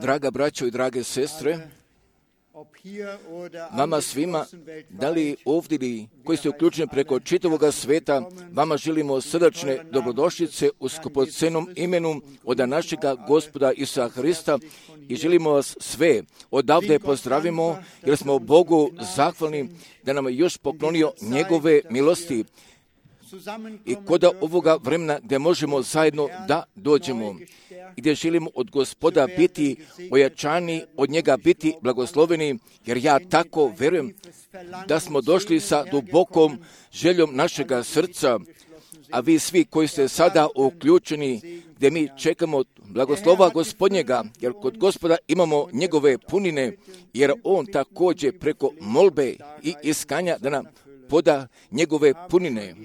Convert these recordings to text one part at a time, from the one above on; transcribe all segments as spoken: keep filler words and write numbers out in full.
Draga braćo i drage sestre, vama svima, da li ovdje ili koji ste uključeni preko čitavoga sveta, vama želimo srdačne dobrodošlice u skupocenom imenu od našega Gospoda Isusa Hrista i želimo vas sve odavde pozdravimo jer smo Bogu zahvalni da nam je još poklonio njegove milosti i kod ovoga vremena gdje možemo zajedno da dođemo i gdje želimo od Gospoda biti ojačani, od njega biti blagosloveni, jer ja tako vjerujem da smo došli sa dubokom željom našega srca, a vi svi koji ste sada uključeni, gdje mi čekamo blagoslova Gospodnjega, jer kod Gospoda imamo njegove punine, jer on također preko molbe i iskanja da nam poda njegove punine.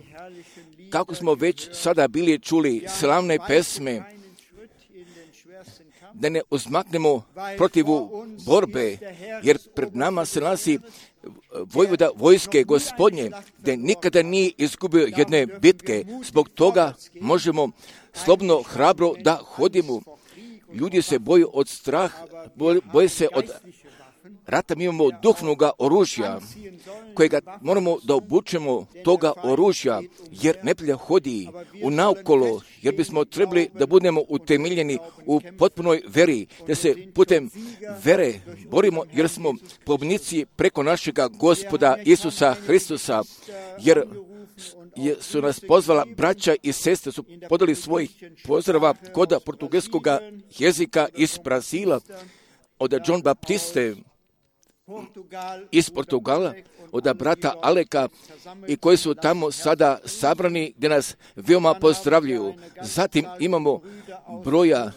Kako smo već sada bili čuli slavne pesme, da ne uzmaknemo protivu borbe, jer pred nama se nalazi vojvoda vojske Gospodnje, gdje nikada nije izgubio jedne bitke. Zbog toga možemo slobodno, hrabro da hodimo. Ljudi se boju od straha, boje se od rata. Mi imamo duhovnoga oružja, kojega moramo da obučemo toga oružja, jer neprijatelj hodi u naokolo, jer bismo trebali da budemo utemeljeni u potpunoj veri, da se putem vere borimo, jer smo pobjednici preko našega Gospoda Isusa Hristusa, jer su nas pozvala braća i sestre, su podali svojih pozdrava kod portugalskog jezika iz Brazila, od John Baptiste, iz Portugala, od brata Aleka i koji su tamo sada sabrani gdje nas veoma pozdravljuju. Zatim imamo broja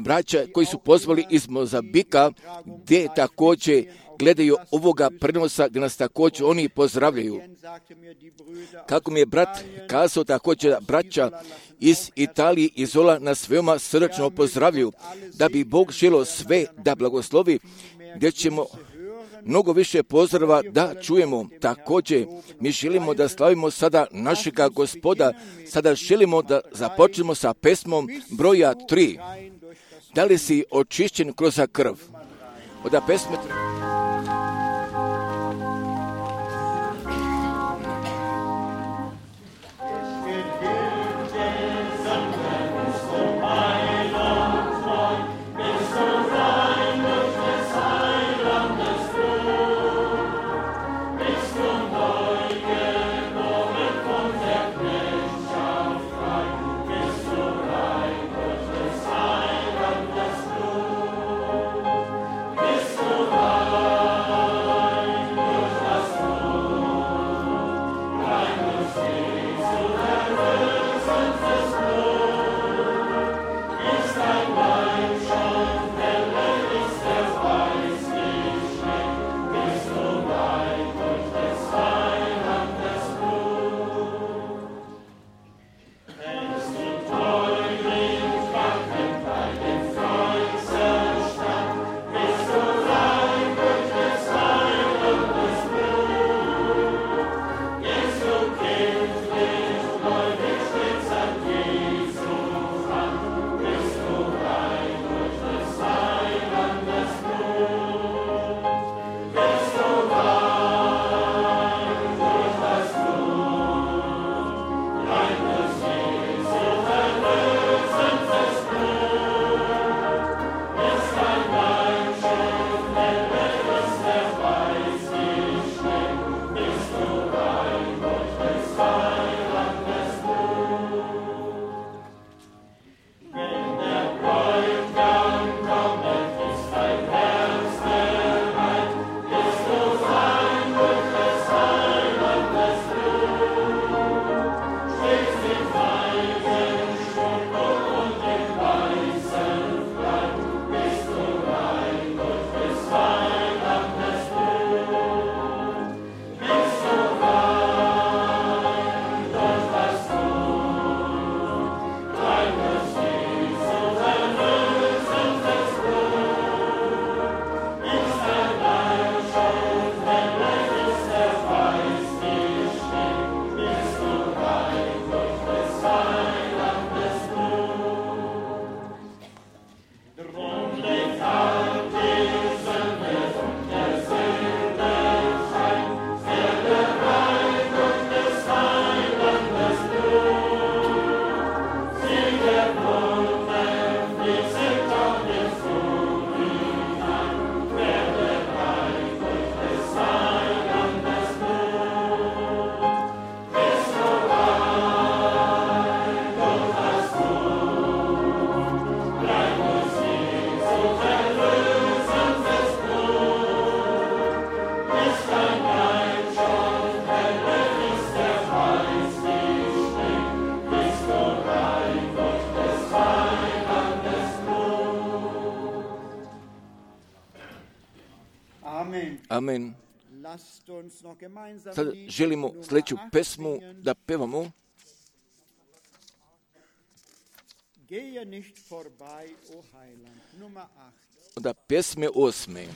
braća koji su pozvali iz Mozambika gdje također gledaju ovoga prenosa gdje nas također oni pozdravljaju. Kako mi je brat kazao, također braća iz Italije i Zola nas veoma srdačno pozdravljaju, da bi Bog želio sve da blagoslovi, gdje ćemo mnogo više pozdrava da čujemo. Također, mi želimo da slavimo sada našega Gospoda. Sada želimo da započnemo sa pesmom broja tri. Da li si očišćen kroz krv? Od pesme tri. Bist du rein Amen. Sad želimo sljedeću pesmu da pevamo. Onda pjesme osme.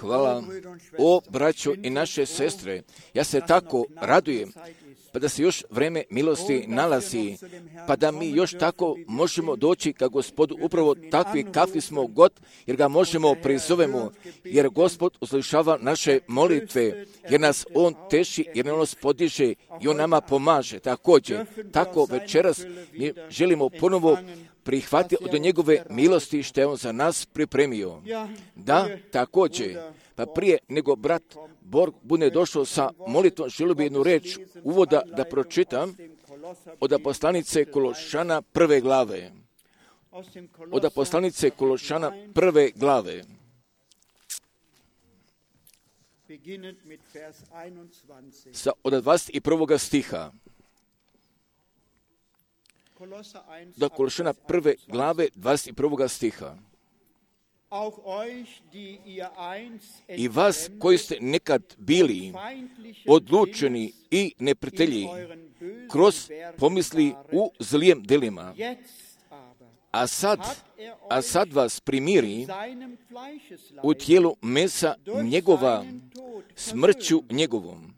Hvala. O, braćo i naše sestre, ja se tako radujem, pa da se još vreme milosti nalazi, pa da mi još tako možemo doći ka Gospodu, upravo takvi kakvi smo god, jer ga možemo prizovemo, jer Gospod uslišava naše molitve, jer nas On teši, jer nas podiže i On nama pomaže. Također, tako večeras mi želimo ponovo prihvatiti od njegove milosti što je On za nas pripremio. Da, također, pa prije nego brat Borg bude došao sa molitvom, želio bi jednu reč uvoda da pročitam od poslanice Kološana prve glave. Od poslanice Kološana prve glave. Sa od dvadeset prvog stiha. Do Kološana prve glave dvadeset prvog stiha. i vas koji ste nekad bili odlučeni i neprijatelji kroz pomisli u zlijem delima, a sad, a sad vas primiri u tijelu mesa njegova smrću njegovom,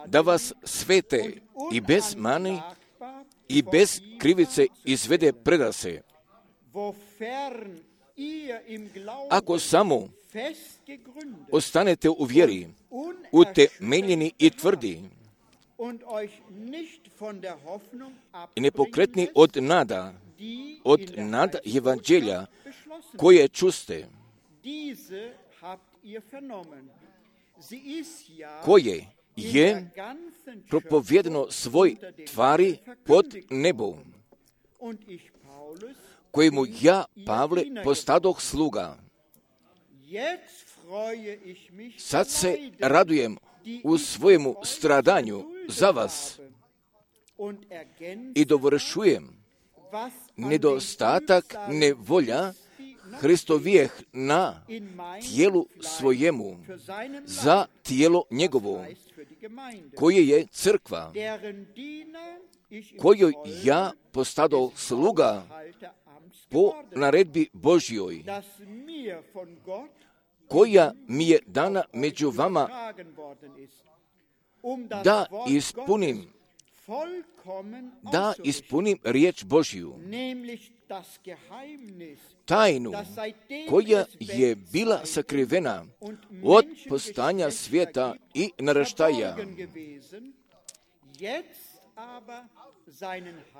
da vas svete i bez mani i bez krivice izvede predase. Ako samo ostanete u vjeri, utemeljeni i tvrdi, i nepokretni od nada, od nada evanđelja koje čuste, koje je propovedano svoj tvari pod nebom, kojemu ja, Pavle, postadoh sluga. Sad se radujem u svojemu stradanju za vas i dovršujem nedostatak nevolja Hristovijeh na tijelu svojemu, za tijelo njegovo, koje je crkva, kojoj ja postado sluga po naredbi Božjoj, koja mi je dana među vama, da ispunim, da ispunim riječ Božju, tajnu koja je bila sakrivena od postanja svijeta i naraštaja,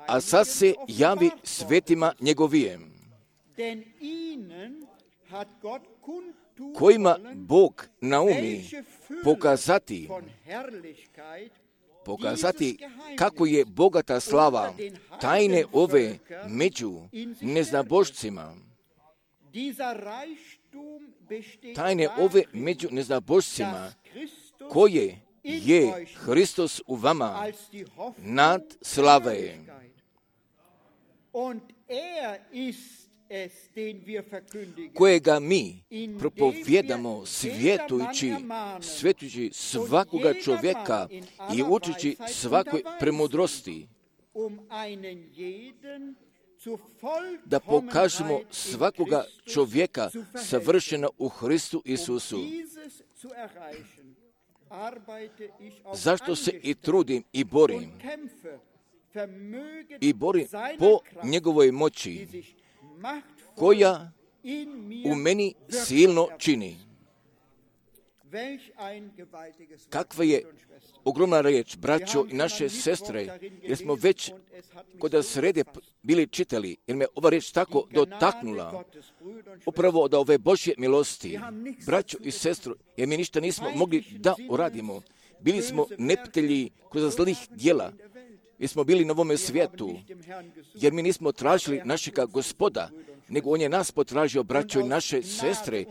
a sad se javi svetima njegovijem, kojima Bog naumi pokazati, pokazati kako je bogata slava tajne ove među neznabošcima, tajne ove među neznabošcima, koje je Hristos u vama, nad slave. Kojega mi propovjedamo svjetujući, svjetujući svakoga čovjeka i učići svakoj premudrosti, da pokažemo svakoga čovjeka savršena u Hristu Isusu. Zašto se i trudim i borim, i borim po njegovoj moći, koja u meni silno čini. Kakva je ogromna riječ, braćo i naše sestre, jer smo već kod srede bili čitali, jer me ova riječ tako dotaknula, upravo od ove Božje milosti, braćo i sestro, jer mi ništa nismo mogli da uradimo. Bili smo neprijatelji kroz zlih djela, jer smo bili na ovome svijetu, jer mi nismo tražili našega Gospoda, nego on je nas potražio, braćo i naše sestre,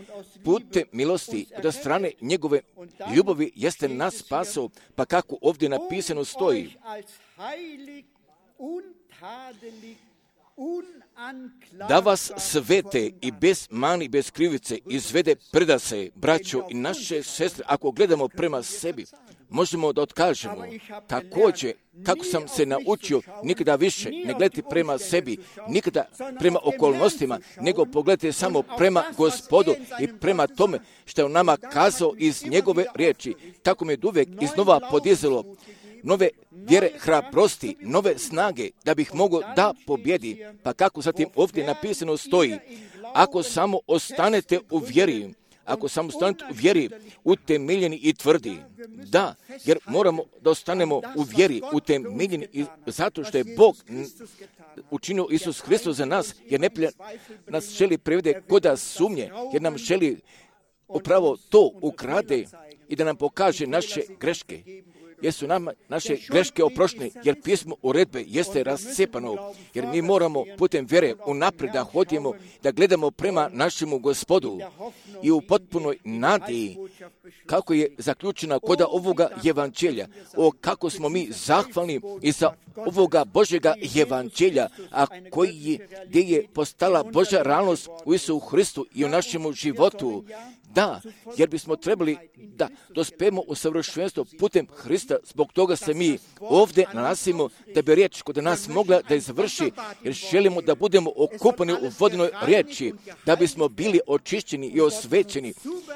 putem milosti od strane njegove ljubavi jeste nas spasao, pa kako ovdje napisano stoji, da vas svete i bez mani, bez krivice izvede predase, braćo i naše sestre. Ako gledamo prema sebi, možemo da otkažemo. Također, kako sam se naučio nikada više ne gledati prema sebi, nikada prema okolnostima, nego pogledajte samo prema Gospodu i prema tome što je on nama kazao iz njegove riječi. Tako me uvijek iznova podizalo nove vjere, hrabrosti, nove snage, da bih mogao da pobjedi. Pa kako zatim ovdje napisano stoji, ako samo ostanete u vjeri, ako samo ostanete u vjeri, utemeljeni i tvrdi. Da, jer moramo da ostanemo u vjeri, utemeljeni i zato što je Bog učinio Isus Hristos za nas, jer ne nas želi privede koda sumnje, jer nam želi upravo to ukrade i da nam pokaže naše greške. Jer su nam naše greške oproštene, jer pismo uredbe jeste rascepano, jer mi moramo putem vjere unaprijed da hodimo, da gledamo prema našemu Gospodu i u potpunoj nadi kako je zaključena kod ovoga evanđelja. O, kako smo mi zahvalni i za ovoga Božjega evanđelja, a koji je, gdje je postala Božja realnost u Isusu Hristu i u našemu životu. Da, jer bismo trebali da dospemo u savršenstvo putem Hrista, zbog toga se mi ovdje nalazimo, da bi riječ kod nas mogla da izvrši, jer želimo da budemo okupani u vodinoj riječi, da bismo bili očišćeni i osvećeni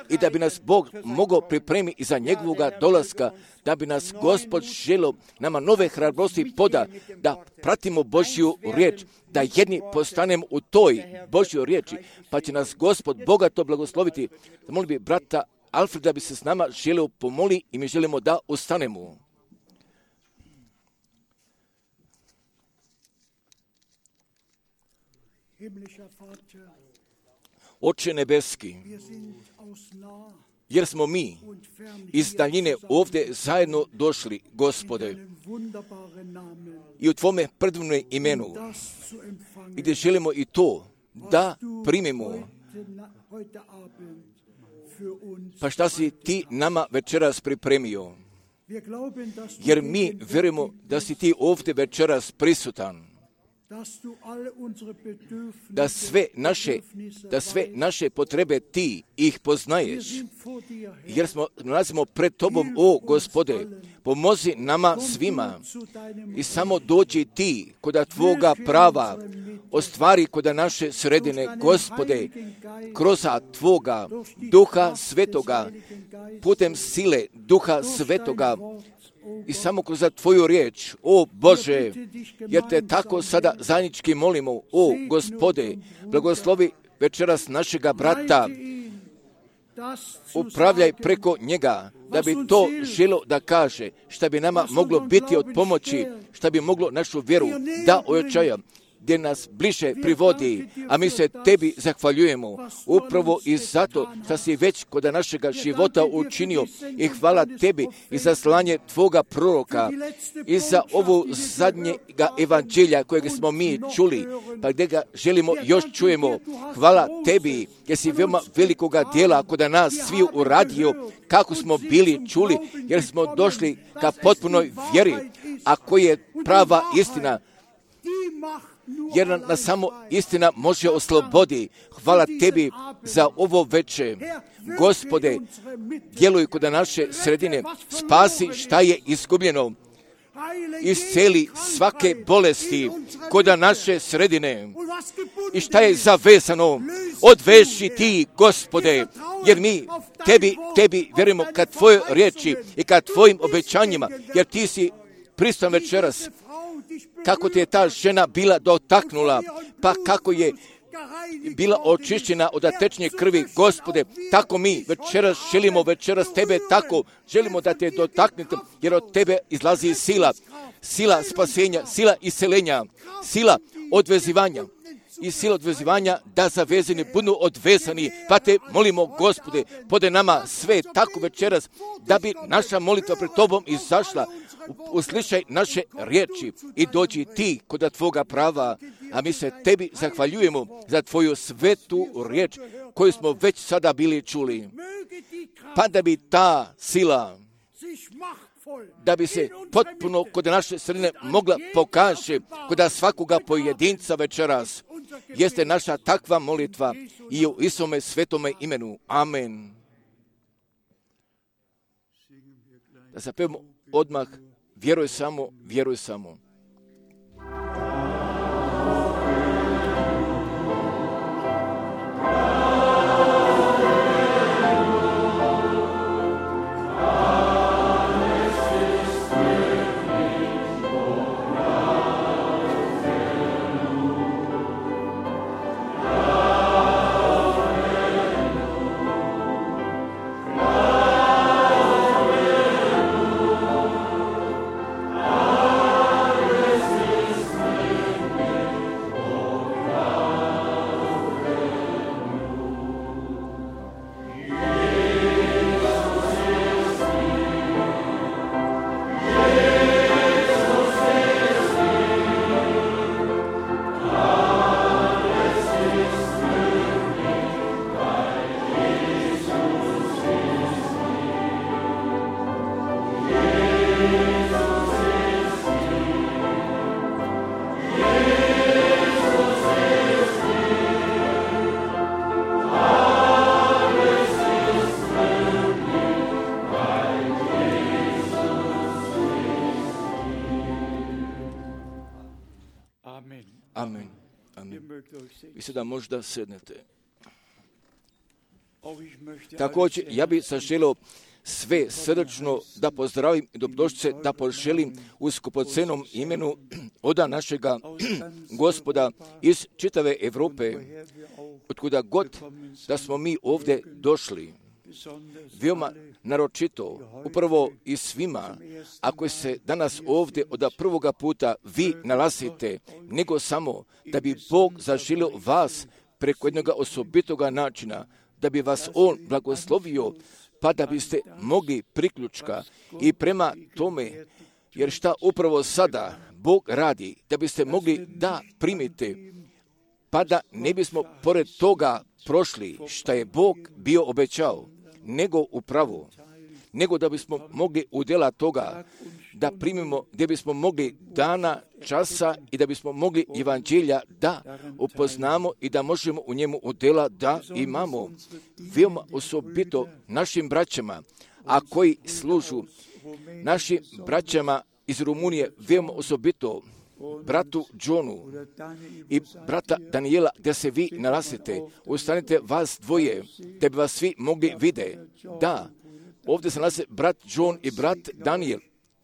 i da bi nas Bog mogao pripremiti za njegovoga dolaska, da bi nas Gospod želio nama nove hrabrosti poda, da pratimo Božju riječ, da jedni postanemo u toj Božjoj riječi, pa će nas Gospod bogato blagosloviti. Molim bi brata Alfreda da bi se s nama želio pomoli i mi želimo da ustanemo. Oče nebeski, jer smo mi iz daljine ovdje zajedno došli, Gospode, i u Tvome predivnom imenu, gdje želimo i to da primimo. Pa šta si Ti nama večeras pripremio? Jer mi vjerujemo da si Ti ovdje večeras prisutan. Da sve naše, da sve naše potrebe Ti ih poznaješ. Jer smo nalazimo pred Tobom, o Gospode, pomozi nama svima i samo dođi Ti koda Tvoga prava, ostvari koda naše sredine, Gospode, kroz Tvoga Duha Svetoga, putem sile Duha Svetoga, i samo kroz Tvoju riječ, o Bože, jer Te tako sada zajednički molimo, o Gospode, blagoslovi večeras našega brata, upravljaj preko njega, da bi to želo da kaže, šta bi nama moglo biti od pomoći, šta bi moglo našu vjeru da ojačaja, gdje nas bliže privodi, a mi se Tebi zahvaljujemo upravo i zato što si već kod našega života učinio i hvala Tebi i za slanje Tvoga proroka i za ovu zadnjega evanđelja kojeg smo mi čuli, pa gdje ga želimo još čujemo. Hvala Tebi jer si veoma velikoga dijela kod nas svi uradio kako smo bili čuli, jer smo došli ka potpunoj vjeri, a koja je prava istina, jer nas samo istina može oslobodi. Hvala Tebi za ovo veče. Gospode, djeluj kod naše sredine, spasi šta je izgubljeno, isceli svake bolesti kod naše sredine i šta je zavezano, odveši Ti, Gospode, jer mi Tebi, Tebi vjerujemo kad Tvoje riječi i kad Tvojim obećanjima, jer Ti si pristan večeras. Kako Te je ta žena bila dotaknula, pa kako je bila očišćena od tečnje krvi, Gospode, tako mi večeras želimo večeras Tebe tako, želimo da Te dotaknete, jer od Tebe izlazi sila, sila spasenja, sila iscelenja, sila odvezivanja i sila odvezivanja da zavezani budu odvezani, pa Te molimo, Gospode, pode nama sve tako večeras, da bi naša molitva pred Tobom izašla. Uslišaj naše riječi i dođi Ti kod Tvoga prava, a mi se Tebi zahvaljujemo za Tvoju svetu riječ koju smo već sada bili čuli. Pa da bi ta sila, da bi se potpuno kod naše sredine mogla pokaže kod svakoga pojedinca večeras, jeste naša takva molitva i u Isome svetome imenu. Amen. Da zapevamo odmah, vjeruj samo, vjeruj samo. Alleluia. I sada možda sednete. Također, ja bih zaželio sve srdačno da pozdravim i dobrodošlice da poželim u skupocenom imenu oda našega Gospoda iz čitave Europe, otkuda god da smo mi ovdje došli. Veoma naročito, upravo i svima, ako se danas ovdje od prvoga puta vi nalazite, nego samo da bi Bog zaželio vas preko jednog osobitoga načina, da bi vas On blagoslovio, pa da biste mogli priključka i prema tome, jer šta upravo sada Bog radi, da biste mogli da primite, pa da ne bismo pored toga prošli šta je Bog bio obećao, nego upravo, nego da bismo mogli u djela toga da primimo, gdje bismo mogli dana, časa i da bismo mogli evanđelja da upoznamo i da možemo u njemu u djela da imamo. Veoma osobito našim braćama, a koji služu našim braćama iz Rumunije, veoma osobito bratu Johnu i brata Daniela, gdje se vi nalazite, ustanite vas dvoje, da bi vas svi mogli vide. Da, ovdje se nalaze brat John i brat Daniel,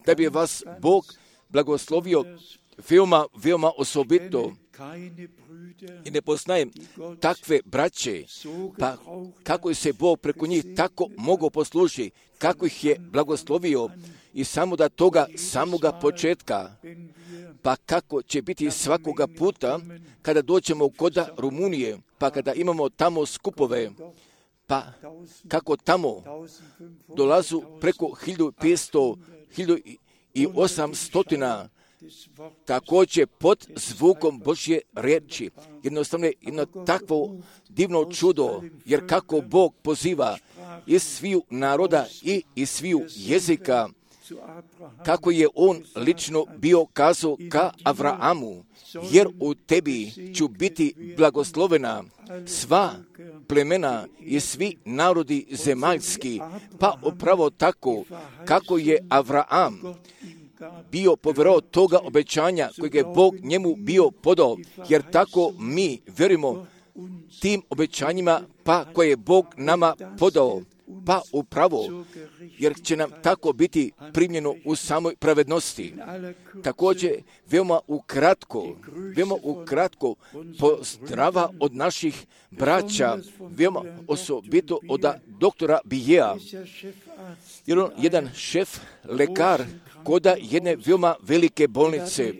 da bi vas Bog blagoslovio veoma, veoma osobito. I ne poznajem takve braće, pa kako se Bog preko njih tako mogo posluži, kako ih je blagoslovio i samo da toga samoga početka, pa kako će biti svakoga puta kada dođemo kod Rumunije, pa kada imamo tamo skupove, pa kako tamo dolazu preko hiljadu petsto, hiljadu osamsto također pod zvukom Božje riječi. Jednostavno je jedno takvo divno čudo, jer kako Bog poziva iz sviju naroda i iz sviju jezika, kako je On lično bio kazao ka Avraamu, jer u tebi ću biti blagoslovena sva plemena i svi narodi zemaljski, pa upravo tako kako je Avraam bio povjerovao toga obećanja kojeg je Bog njemu bio podao, jer tako mi vjerujemo tim obećanjima pa koje je Bog nama podao, pa upravo, jer će nam tako biti primljeno u samoj pravednosti. Također, veoma ukratko, veoma ukratko pozdrava od naših braća, veoma osobito od doktora Bijeja, jer on jedan šef, lekar, koda jedne veoma velike bolnice.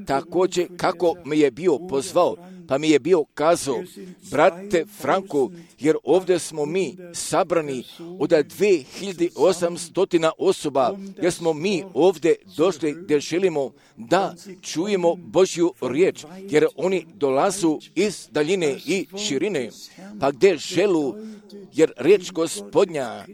Također, kako me je bio pozvao, pa mi je bio kazao, brate Franko, jer ovdje smo mi sabrani od dve hiljade osamsto osoba, jer smo mi ovdje došli gdje želimo da čujemo Božju riječ, jer oni dolazu iz daljine i širine, pa gdje želu, jer riječ Gospodnja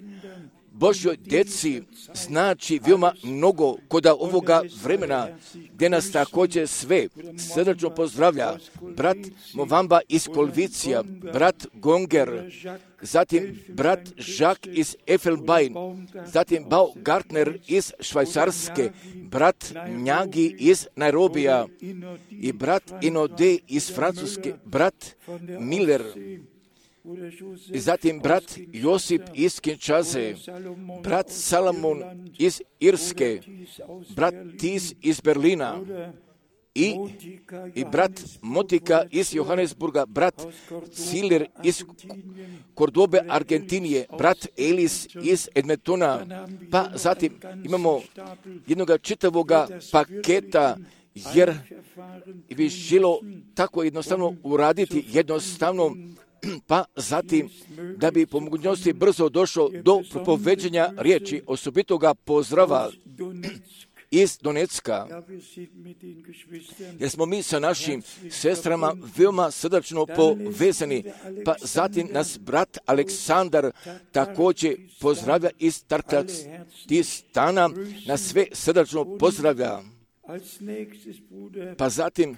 Božjoj djeci znači veoma mnogo kod ovoga vremena, gdje nas također sve srdačno pozdravlja brat Movamba iz Kolvicija, brat Gonger, zatim brat Jacques iz Effelbein, zatim Baumgartner iz Švajcarske, brat Njagi iz Nairobija i brat Inode iz Francuske, brat Miller, i zatim brat Josip iz Kinshase, brat Salomon iz Irske, brat Tis iz Berlina i, i brat Motika iz Johannesburga, brat Ciler iz Kordobe, Argentinije, brat Elis iz Edmontona, pa zatim imamo jednoga čitavoga paketa, jer bi želo tako jednostavno uraditi, jednostavno, pa zatim da bi po mogućnosti brzo došao do propoveđenja riječi, osobitoga pozdrava iz Donecka, jer smo mi sa našim sestrama veoma srdačno povezani, pa zatim nas brat Aleksandar također pozdravlja iz Tarkastana, nas sve srdačno pozdravlja. Pa zatim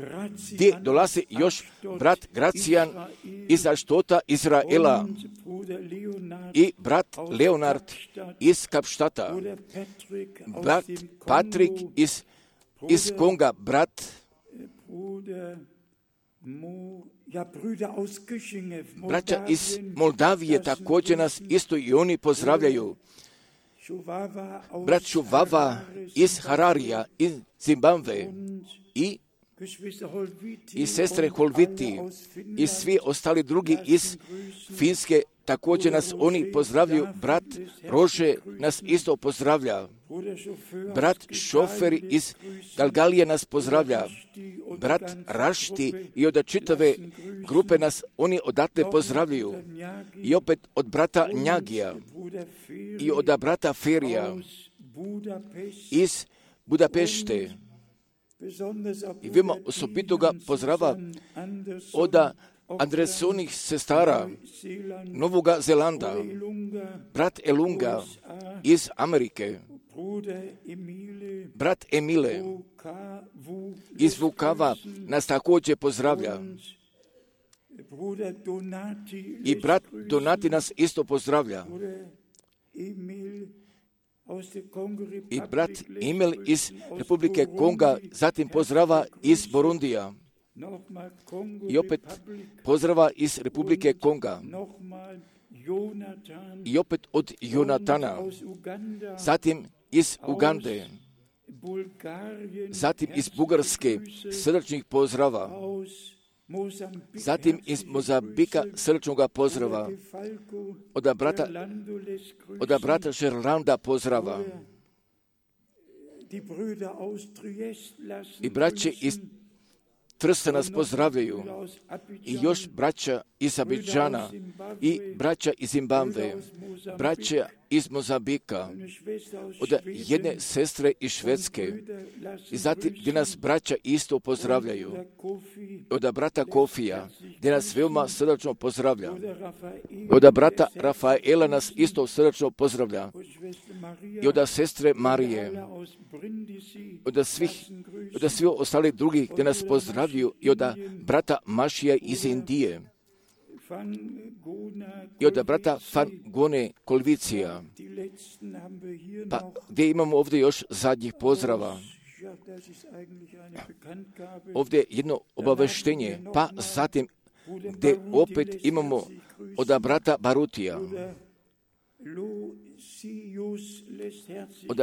gdje dolazi još brat Gracijan iz Aštota Izraela i brat Leonard iz Kapštata, brat Patrik iz, iz Konga, brat Braća iz Moldavije također nas isto i oni pozdravljaju. Brat Šuvava iz Hararija, iz Zimbabve i i sestre Holviti i svi ostali drugi iz Finske, također nas oni pozdravljaju. Brat Rože nas isto pozdravlja. Brat šofer iz Galgalije nas pozdravlja. Brat Rašti i od čitave grupe nas oni odatle pozdravljaju. I opet od brata Njagija i od brata Ferija iz Budapešte. I vima osobito ga pozdrava od Andresonih sestara Novoga Zelanda, brat Elunga iz Amerike, brat Emile iz Vukava nas također pozdravlja. I brat Donati nas isto pozdravlja. I brat Emil iz Republike Konga zatim pozdrava iz Borundija. I opet pozdrava iz Republike Konga. I opet od Jonatana. Zatim iz Ugande. Zatim iz Bugarske srdačnih pozdrava. Zatim iz Mozambika srdačnoga pozdrava. Od brata, od brata Žerlanda pozdrava. I braće iz Trsta nas pozdravljaju. I još braća iz Abidžana i braća iz Zimbabve, braća iz Mozambika, od jedne sestre iz Švedske. I zatim gdje nas braća isto pozdravljaju. Od brata Kofija, gdje nas veoma srdačno pozdravlja. Od brata Rafaela nas isto srdačno pozdravlja. I od sestre Marije, od svih, od svih ostalih drugih gdje nas pozdravljaju. I od brata Mašija iz Indije. I od brata Fangone Kolvicija. Pa gdje imamo ovdje još zadnjih pozdrava. Ovdje jedno obaveštenje. Pa zatim gdje opet imamo od brata Barutija. Od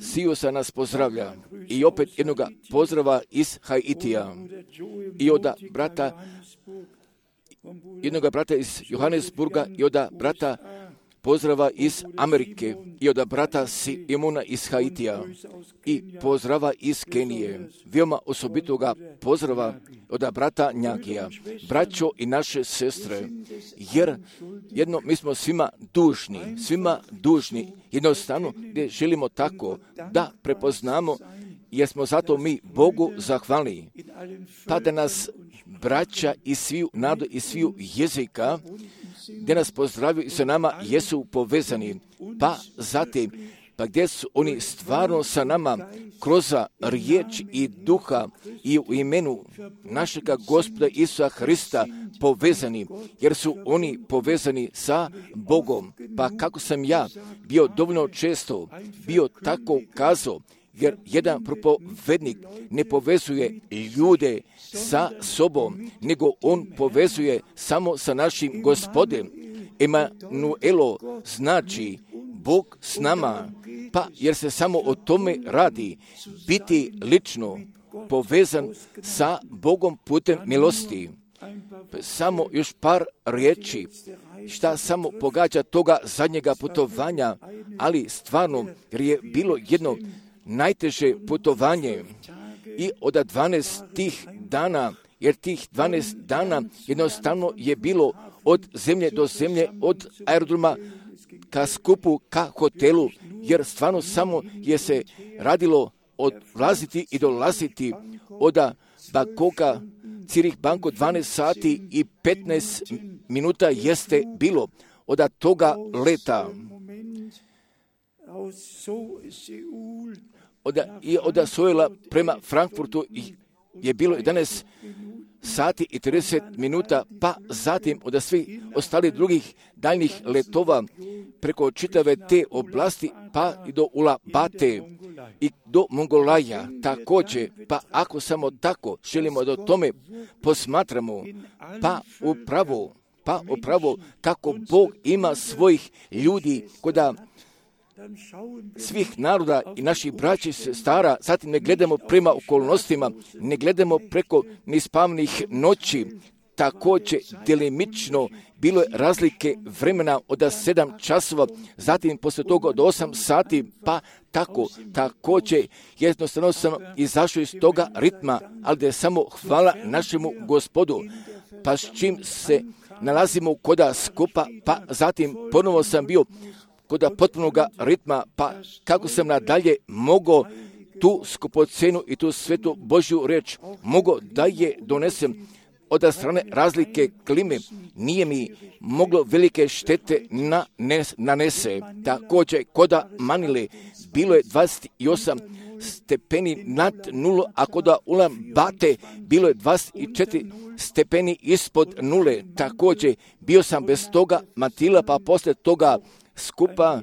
Sijusa nas pozdravlja. I opet jednoga pozdrava iz Haitija. I od brata jednoga brata iz Johannesburga i od brata pozdrava iz Amerike i od brata Simona iz Haitija i pozdrava iz Kenije. Veoma osobitoga pozdrava od brata Njagija, braćo i naše sestre, jer jedno mi smo svima dužni, svima dužni, jednostavno gdje želimo tako da prepoznamo, jer smo zato mi Bogu zahvalni, pa da nas braća iz sviju naroda i sviju jezika, gdje nas pozdravljaju i sa nama jesu povezani, pa zatim, pa gdje su oni stvarno sa nama kroz riječ i duha i u imenu našega Gospoda Isusa Hrista povezani, jer su oni povezani sa Bogom. Pa kako sam ja bio dovoljno često bio tako kazao, jer jedan propovednik ne povezuje ljude sa sobom, nego on povezuje samo sa našim Gospodem. Emanuelo znači Bog s nama, pa jer se samo o tome radi, biti lično povezan sa Bogom putem milosti. Samo još par riječi, šta samo pogađa toga zadnjega putovanja, ali stvarno jer je bilo jedno najteže putovanje i od dvanaest tih dana, jer tih dvanaest dana jednostavno je bilo od zemlje do zemlje, od aerodroma ka skupu, ka hotelu, jer stvarno samo je se radilo odlaziti i dolaziti od Bangkoka, Zürich Banko dvanaest sati i petnaest minuta jeste bilo od toga leta. Od, i od Seula prema Frankfurtu je bilo jedanaest sati i trideset minuta, pa zatim od svih ostalih drugih daljnjih letova preko čitave te oblasti, pa i do Ulaanbaatar i do Mongolaja također. Pa ako samo tako želimo da o tome posmatramo, pa upravo, pa upravo kako Bog ima svojih ljudi koda svih naroda i naših braća i sestara, zatim ne gledamo prema okolnostima, ne gledamo preko nispavnih noći, također delimično bilo je razlike vremena od sedam časova, zatim poslije toga od osam sati, pa tako, također jednostavno sam izašao iz toga ritma, ali da je samo hvala našemu Gospodu, pa s čim se nalazimo koda skupa, pa zatim ponovo sam bio koda potpunoga ritma, pa kako sam nadalje mogao tu skupocenu i tu svetu Božju reč, mogao da je donesem od strane razlike klime, nije mi moglo velike štete nanese. Također, koda Manile bilo je dvadeset osam stepeni nad nulu, a koda Ulaanbaatar bilo je dvadeset četiri stepeni ispod nule. Također, bio sam bez toga mantila, pa poslije toga skupa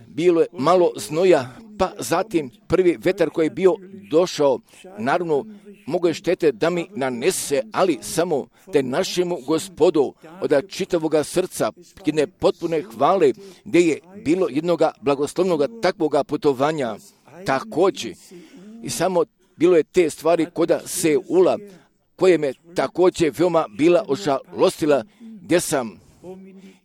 bilo je malo znoja, pa zatim prvi vetar koji je bio došao, naravno mogo je štete da mi nanese, ali samo da našemu Gospodu od čitavoga srca jedne potpune hvale, gdje je bilo jednoga blagoslovnog takvoga putovanja. Također, i samo bilo je te stvari koda Seula, koje me također veoma bila ožalostila, gdje sam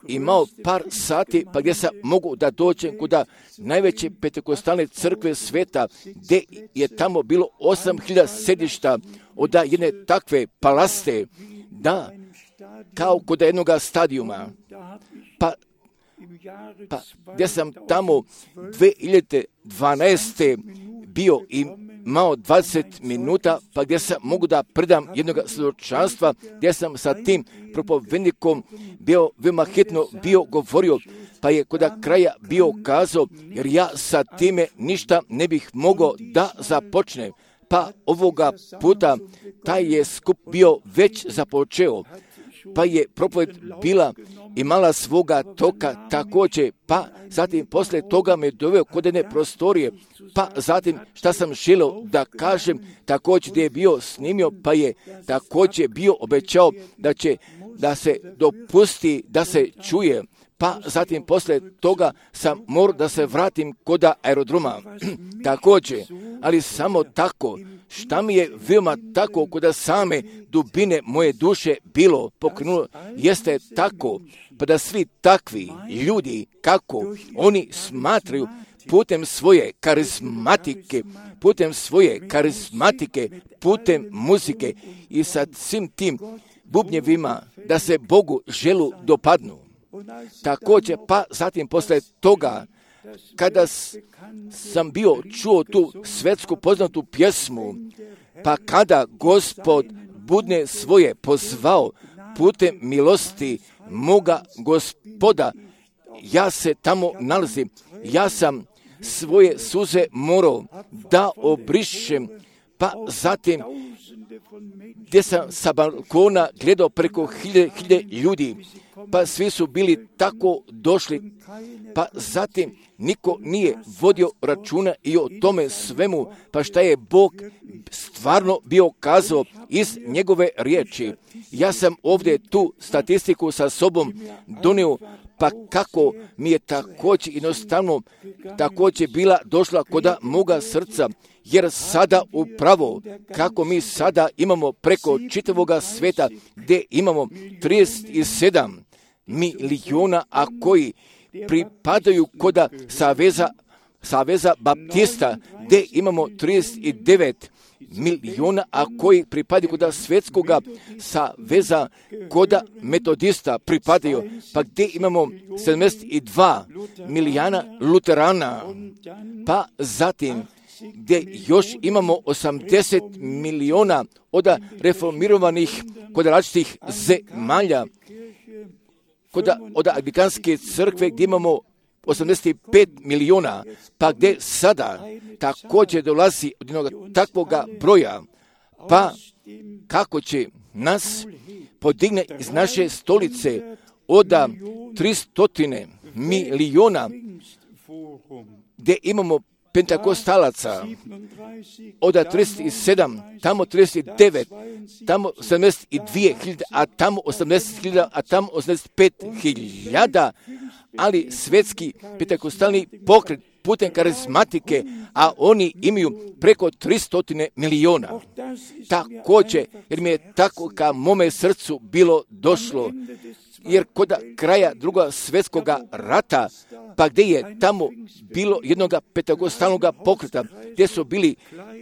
imao par sati, pa gdje sam mogu da dođem kuda najveće pentekostalne crkve sveta, gdje je tamo bilo osam hiljada sedišta od jedne takve palaste, da, kao kod jednog stadijuma, pa, pa gdje sam tamo dvije hiljade dvanaeste bio i imao dvadeset minuta, pa gdje sam mogu da predam jednog svjedočanstva, gdje sam sa tim propovednikom bio veoma hitno bio govorio, pa je kod kraja bio kazao, jer ja sa time ništa ne bih mogao da započnem. Pa ovoga puta taj je skup bio već započeo, pa je propoved bila imala svoga toka također, pa zatim poslije toga me doveo kod jedne prostorije, pa zatim šta sam želio da kažem, također gdje je bio snimio, pa je također bio obećao da će da se dopusti da se čuje, pa zatim poslije toga sam morao da se vratim kod aerodroma. Također, ali samo tako, šta mi je veoma tako kod same dubine moje duše bilo pokrenulo, jeste tako, pa da svi takvi ljudi, kako oni smatraju putem svoje karizmatike, putem svoje karizmatike, putem muzike i sa svim tim bubnjevima, da se Bogu želu dopadnu. Također, pa zatim posle toga, kada sam bio čuo tu svetsku poznatu pjesmu, pa kada Gospod budne svoje pozvao putem milosti moga Gospoda, ja se tamo nalazim, ja sam svoje suze morao da obrišem, pa zatim gdje sam sa balkona gledao preko hilje, hilje ljudi, pa svi su bili tako došli, pa zatim niko nije vodio računa i o tome svemu, pa šta je Bog stvarno bio kazao iz njegove riječi. Ja sam ovdje tu statistiku sa sobom donio, pa kako mi je također jednostavno također bila došla koda moga srca, jer sada upravo kako mi sada imamo preko čitavoga sveta gdje imamo trideset sedam miliona, a koji pripadaju koda Saveza, Saveza Baptista, gdje imamo trideset devet miliona, a koji pripadaju koda Svjetskoga saveza koda Metodista pripadaju, pa gdje imamo sedamdeset dva milijuna luterana, pa zatim gdje još imamo osamdeset miliona od reformirovanih kod različitih zemalja, kod od Anglikanske crkve gdje imamo osamdeset pet miliona, pa gdje sada također dolazi od jednog takvoga broja, pa kako će nas podigne iz naše stolice oda tristotine miliona gdje imamo pentakostalaca, oda trideset sedam, tamo trideset devet, tamo sedamdeset dvije hiljade, a tamo osamdeset hiljada, a tamo osamdeset pet hiljada, ali svetski pentakostalni pokret putem karizmatike, a oni imaju preko tristotine miliona. Također, jer mi je tako ka mome srcu bilo došlo, jer kod kraja drugog svjetskog rata, pa gdje je tamo bilo jednog pentakostalnog pokreta, gdje su bili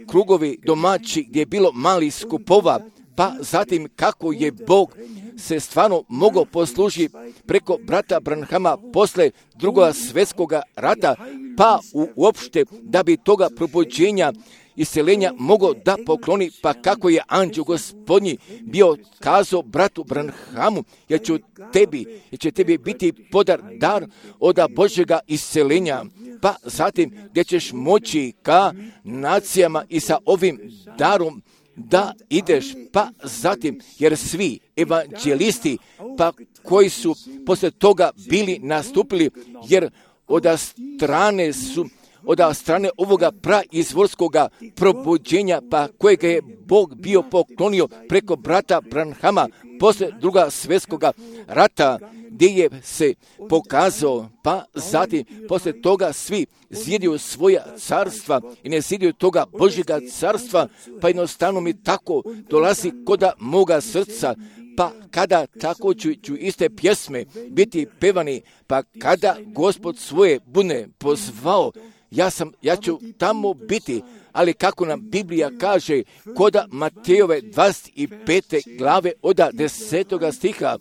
krugovi domaći, gdje je bilo mali skupova, pa zatim kako je Bog se stvarno mogao poslužiti preko brata Branhama posle drugog svjetskog rata, pa uopšte da bi toga probuđenja isceljenja mogao da pokloni, pa kako je anđeo Gospodnji bio kazao bratu Branhamu, jer ću tebi, jer će tebi biti podar dar od Božjega isceljenja, pa zatim gdje ćeš moći ka nacijama i sa ovim darom da ideš, pa zatim, jer svi evanđelisti, pa koji su posle toga bili nastupili, jer od strane su od strane ovoga praizvorskoga probuđenja, pa kojega je Bog bio poklonio preko brata Branhama posle druga svjetskoga rata, gdje je se pokazao, pa zatim posle toga svi zjedio svoja carstva i ne zjedio toga Božjega carstva, pa jednostavno mi tako dolazi koda moga srca, pa kada tako ću, ću iste pjesme biti pevani, pa kada Gospod svoje bude pozvao, Ja, sam, ja ću tamo biti, ali kako nam Biblija kaže, koda Matejove dvadeset pete glave od desetoga stiha,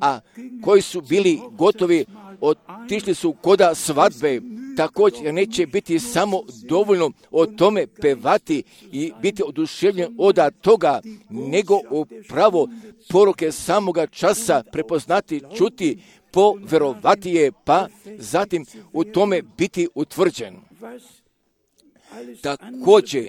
a koji su bili gotovi, otišli su koda svadbe, također neće biti samo dovoljno o tome pevati i biti oduševljen od toga, nego upravo poruke samoga časa prepoznati, čuti, poverovati je, pa zatim u tome biti utvrđen. Također,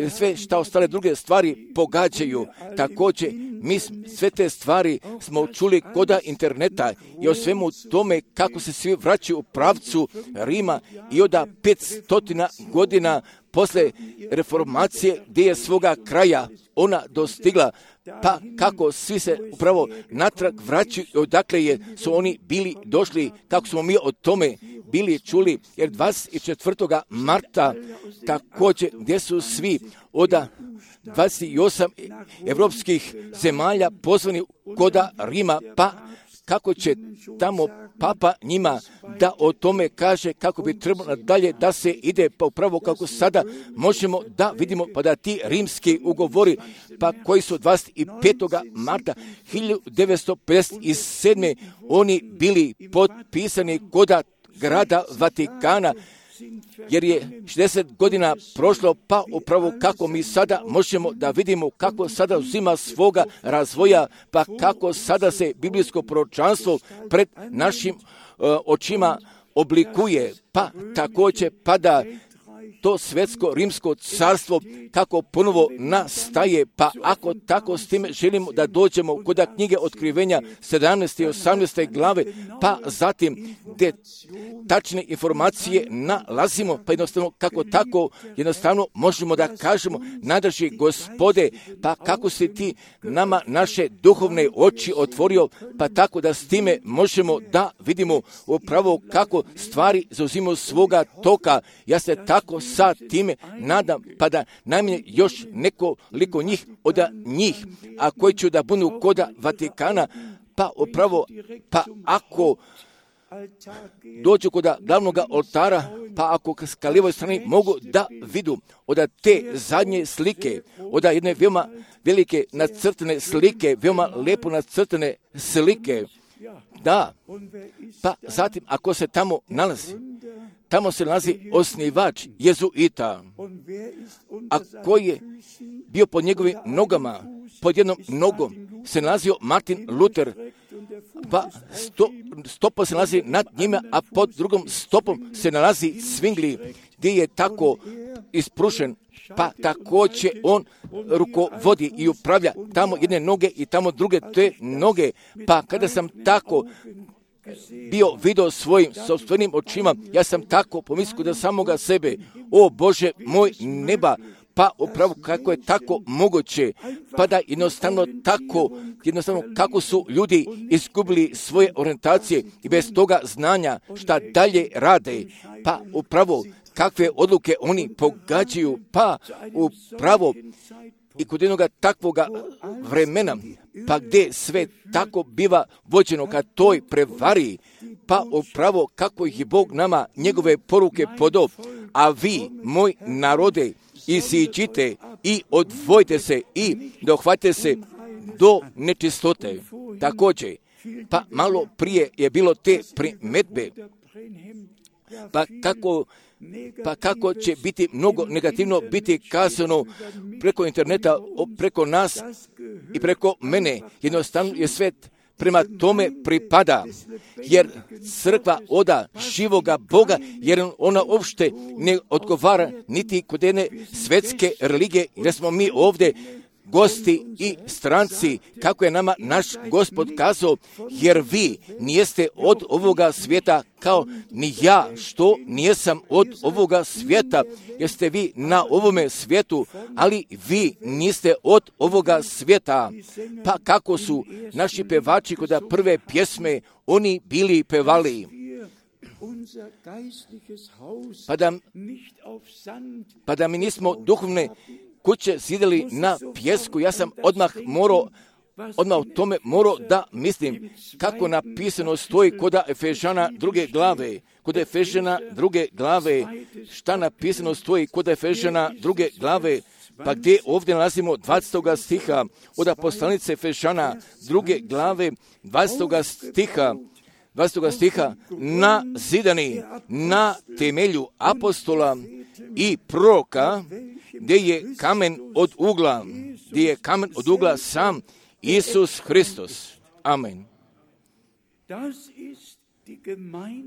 sve što ostale druge stvari pogađaju, također mi sve te stvari smo čuli koda interneta i o svemu tome kako se svi vraćaju u pravcu Rima i od petstotina godina posle reformacije gdje je svoga kraja ona dostigla, pa kako svi se upravo natrag vraćaju i odakle je, su oni bili došli, kako smo mi o tome bili čuli, jer dvadeset četvrtog marta također gdje su svi od dvadeset osam evropskih zemalja pozvani koda Rima, pa kako će tamo papa njima da o tome kaže kako bi trebalo dalje da se ide, pa upravo kako sada možemo da vidimo, pa da ti rimski ugovori, pa koji su dvadeset petog marta hiljadu devetsto pedeset sedme oni bili potpisani koda grada Vatikana, jer je šezdeset godina prošlo, pa upravo kako mi sada možemo da vidimo kako sada uzima svoga razvoja, pa kako sada se biblijsko proročanstvo pred našim uh, očima oblikuje, pa također pada to svjetsko rimsko carstvo kako ponovo nastaje, pa ako tako s time želimo da dođemo kod knjige Otkrivenja sedamnaeste i osamnaeste glave, pa zatim gdje tačne informacije nalazimo, pa jednostavno kako tako jednostavno možemo da kažemo, nadrži Gospode, pa kako si ti nama naše duhovne oči otvorio, pa tako da s time možemo da vidimo upravo kako stvari zauzimaju svoga toka. Ja se tako sa time nadam, pa da najmanje još nekoliko njih od njih, a koji će da budu koda Vatikana, pa upravo, pa ako dođu kod glavnog oltara, pa ako s lijevoj strani mogu da vidu od te zadnje slike, od jedne veoma velike nacrtane slike, veoma lepo nacrtane slike, da, pa zatim ako se tamo nalazi, tamo se nalazi osnivač jezuita, a koji je bio pod njegovim nogama, pod jednom nogom se nalazio Martin Luther, pa sto, stopa se nalazi nad njima, a pod drugom stopom se nalazi Zwingli, gdje je tako isprušen pa također on rukovodi i upravlja tamo jedne noge i tamo druge te noge. Pa kada sam tako bio vidio svojim sopstvenim očima, ja sam tako pomislio da samoga sebe, o Bože moj neba, pa upravo kako je tako moguće, pa da jednostavno tako, jednostavno kako su ljudi izgubili svoje orijentacije i bez toga znanja šta dalje rade, pa upravo kakve odluke oni pogađaju, pa upravo i kod jednoga takvoga vremena, pa gdje sve tako biva vođeno ka toj prevari, pa upravo kako je Bog nama njegove poruke podao, a vi, moj narode, iziđite i odvojite se i dohvatite se do nečistote. Također, pa malo prije je bilo te primetbe, pa kako Pa kako će biti mnogo negativno biti kazano preko interneta, preko nas i preko mene. Jednostavno je svet prema tome pripada, jer crkva oda živoga Boga, jer ona uopšte ne odgovara niti kod jedne svetske religije, jer smo mi ovdje gosti i stranci, kako je nama naš Gospod kazao, jer vi nijeste od ovoga svijeta kao ni ja, što nijesam od ovoga svijeta, jer ste vi na ovome svijetu, ali vi niste od ovoga svijeta. Pa kako su naši pevači kod prve pjesme, oni bili pevali. Pa da, pa da mi nismo duhovne kuće zidali na pjesku, ja sam odmah morao, odmah o tome morao da mislim kako napisano stoji kod Efežana druge glave, kod Efežana druge glave, šta napisano stoji kod Efežana druge glave, pa gdje ovdje nalazimo dvadestog stiha od poslanice Efežana druge glave, dvadestog stiha, dvadestog stiha, na zidani, na temelju apostola i proroka, gdje je kamen od ugla, gdje je kamen od ugla sam Isus Hristos. Amen.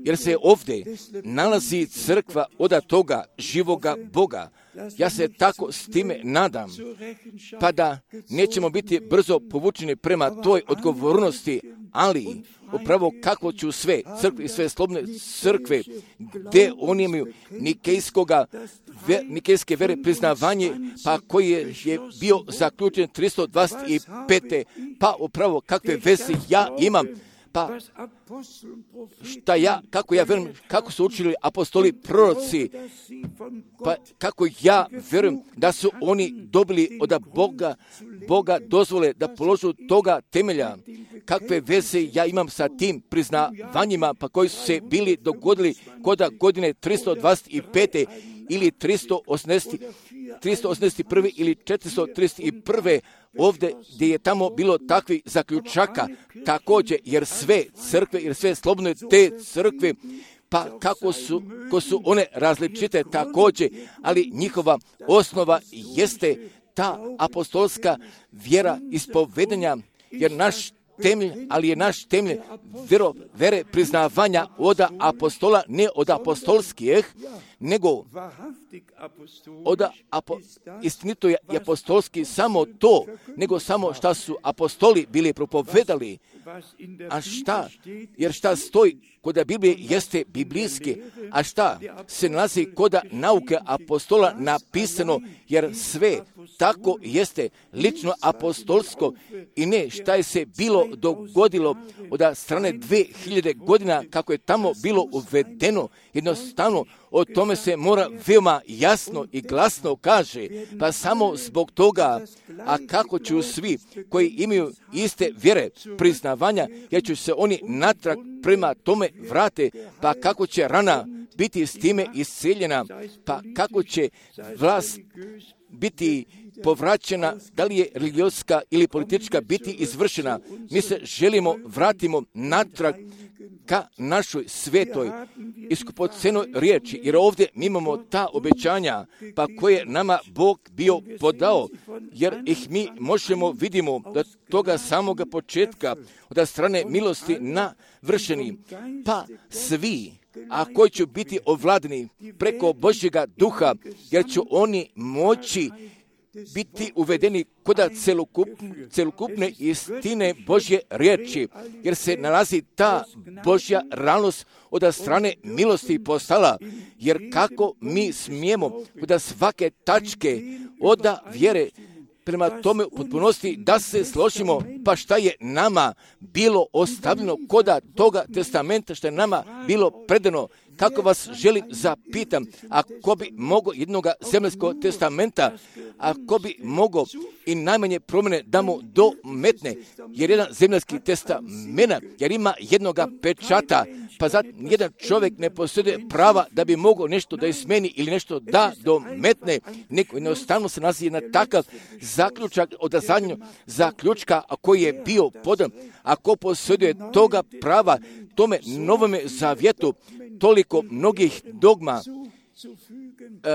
Jer se ovdje nalazi crkva od toga živoga Boga. Ja se tako s time nadam, pa da nećemo biti brzo povučeni prema toj odgovornosti, ali upravo kako ću sve crkve i sve slobodne crkve, gdje oni imaju nikejskoga, ve, nikejske vere priznavanje, pa koji je, je bio zaključen tristo dvadeset pete. Pa upravo kakve veze ja imam, pa šta ja, kako ja verujem, kako su učili apostoli proroci, pa kako ja verujem da su oni dobili od Boga, Boga dozvole da položu toga temelja. Kakve veze ja imam sa tim priznavanjima, pa koji su se bili dogodili kod godine tristo dvadeset pete ili tristo osamdeset prve ili četiristo trideset prve, ovdje gdje je tamo bilo takvih zaključaka, također, jer sve crkve, jer sve slobodne te crkve, pa kako su, ko su one različite također, ali njihova osnova jeste ta apostolska vjera ispovedanja, jer naš temelj, ali je naš temelj vero, vere priznavanja od apostola, ne od apostolskih, nego od apo, istinito je apostolski samo to, nego samo šta su apostoli bili propovedali. A šta? Jer šta stoji kod Biblije jeste biblijski, a šta se nalazi kod nauke apostola napisano, jer sve tako jeste lično apostolsko i ne šta je se bilo dogodilo od strane dve hiljade godina kako je tamo bilo uvedeno. Jednostavno o tome se mora veoma jasno i glasno kaže, pa samo zbog toga, a kako ću svi koji imaju iste vjere priznavanja, jer će se oni natrag prema tome vrate, pa kako će rana biti s time isceljena, pa kako će vlast biti povraćena, da li je religijska ili politička biti izvršena. Mi se želimo vratimo natrag ka našoj svetoj iskupocenoj riječi, jer ovdje mi imamo ta obećanja, pa koje nama Bog bio podao, jer ih mi možemo vidimo da toga samoga početka, od strane milosti navršeni, pa svi, a koji će biti ovladani preko Božjega duha, jer će oni moći biti uvedeni kod celokup, celokupne istine Božje riječi, jer se nalazi ta Božja realnost od strane milosti postala, jer kako mi smijemo kod svake tačke od vjere prema tome u potpunosti da se složimo, pa šta je nama bilo ostavljeno koda toga testamenta, što je nama bilo predano. Kako vas želim zapitam, ako bi mogo jednoga zemaljskog testamenta, ako bi mogo i najmanje promjene da mu dometne, jer jedan zemaljski testament, jer ima jednoga pečata, pa zato jedan čovjek ne posjeduje prava da bi mogao nešto da izmeni ili nešto da dometne, neko jednostavno se nalazi na takav zaključak od zadnjeg zaključka, a koji je bio podan, ako posjeduje toga prava, tome novome zavjetu, toliko mnogih dogma,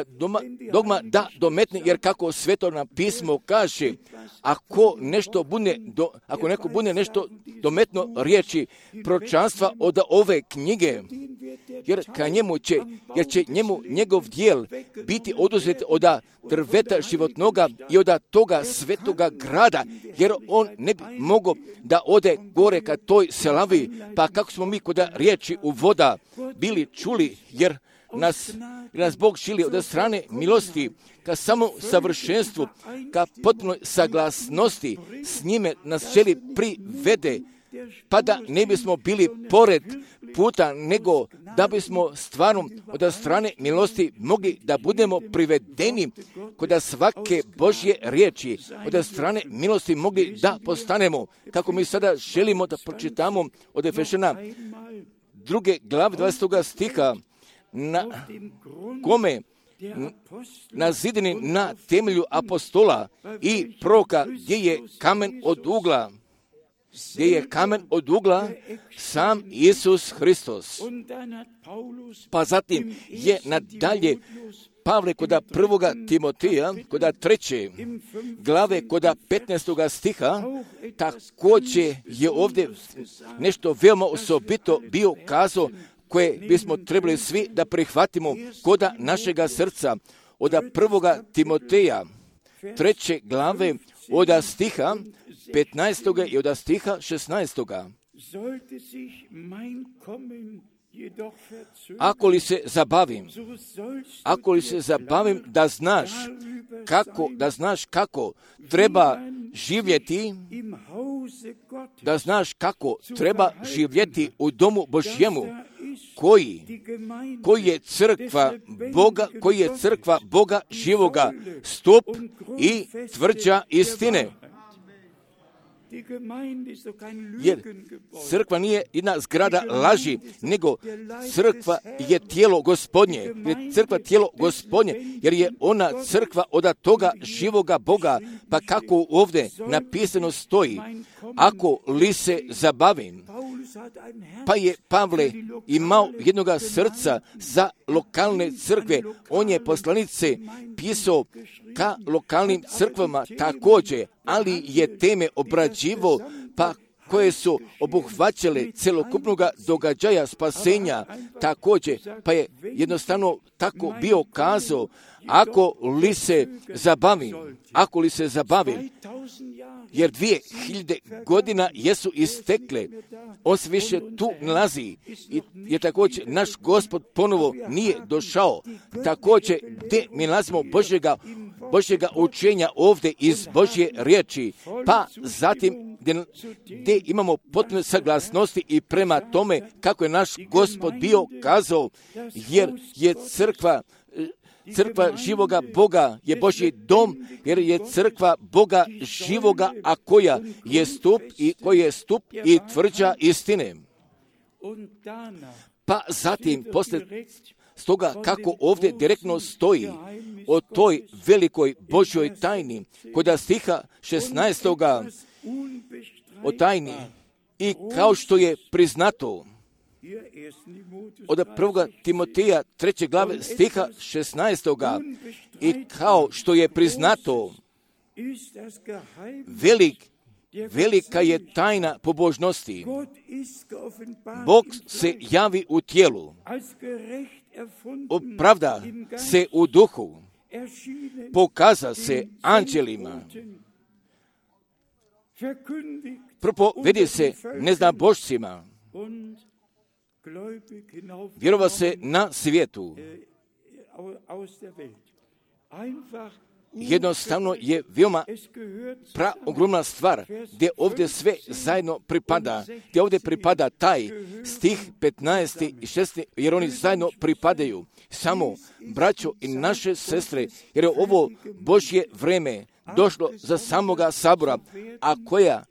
dogma, dogma da dometne, jer kako svetovno pismo kaže, ako nešto bude, do, ako neko bude nešto dometno riječi proročanstva od ove knjige, jer ka njemu će, jer će njemu njegov dijel biti oduzet od drveta životnoga i od toga svetoga grada, jer on ne bi mogao da ode gore ka toj selavi, pa kako smo mi kod riječi u voda bili čuli, jer nas, nas Bog šili od strane milosti ka samo savršenstvu, ka potpunoj saglasnosti s njime nas želi privede, pa da ne bismo bili pored puta, nego da bismo stvarno od strane milosti mogli da budemo privedeni kod svake Božje riječi, od strane milosti mogli da postanemo, kako mi sada želimo da pročitamo od Efešana druge glave dvadesetog stiha, na kome na zidini na temelju apostola i proroka, gdje je kamen od ugla, gdje je kamen od ugla sam Isus Hristos. Pa zatim je nadalje Pavle koda prvoga Timoteja, koda treće glave, koda petnaestoga stiha, također je ovdje nešto veoma osobito bio kazao, koje bismo trebali svi da prihvatimo koda našega srca. Od prvoga Timoteja, treće glave, od stiha petnaestoga i od stiha šesnaestoga. Ako li se zabavim, ako li se zabavim da znaš kako, da znaš kako treba živjeti, da znaš kako treba živjeti u domu Božjemu, koji, koji je crkva Boga, koji je crkva Boga živoga, stup i tvrđa istine. Jer crkva nije jedna zgrada laži, nego crkva je tijelo Gospodnje, je crkva tijelo Gospodnje, jer je ona crkva od toga živoga Boga, pa kako ovdje napisano stoji, ako li se zabavim, pa je Pavle imao jednoga srca za lokalne crkve, on je poslanice pisao ka lokalnim crkvama također, ali je teme obrađivo, pa koje su obuhvaćale celokupnog događaja spasenja također, pa je jednostavno tako bio kazao, ako li se zabavim, ako li se zabavim, jer dvije hiljade godina jesu istekle, on se više tu nalazi, i je također naš Gospod ponovo nije došao, također gdje mi nalazimo Božjega, Božjega učenja ovdje iz Božje riječi, pa zatim gdje, gdje imamo potpune saglasnosti i prema tome kako je naš Gospod bio kazao, jer je crkva Crkva živoga Boga je Božji dom, jer je crkva Boga živoga, a koja je stup i koji je stup i tvrđa istine. Pa zatim, poslije stoga kako ovdje direktno stoji o toj velikoj Božjoj tajni, kod stiha šesnaestoga o tajni, i kao što je priznato, od prvog Timoteja treće glave stiha šesnaestoga i kao što je priznato, velik, velika je tajna pobožnosti. Bog se javi u tijelu, opravda se u duhu, pokaza se anđelima, propovedi se neznabošcima, vjerova se na svijetu. Jednostavno je veoma pra ogromna stvar gdje ovdje sve zajedno pripada, gdje ovdje pripada taj stih petnaesti i šesnaesti, jer oni zajedno pripadaju. Samo braćo i naše sestre, jer je ovo Božje vreme došlo za samoga sabora, a koja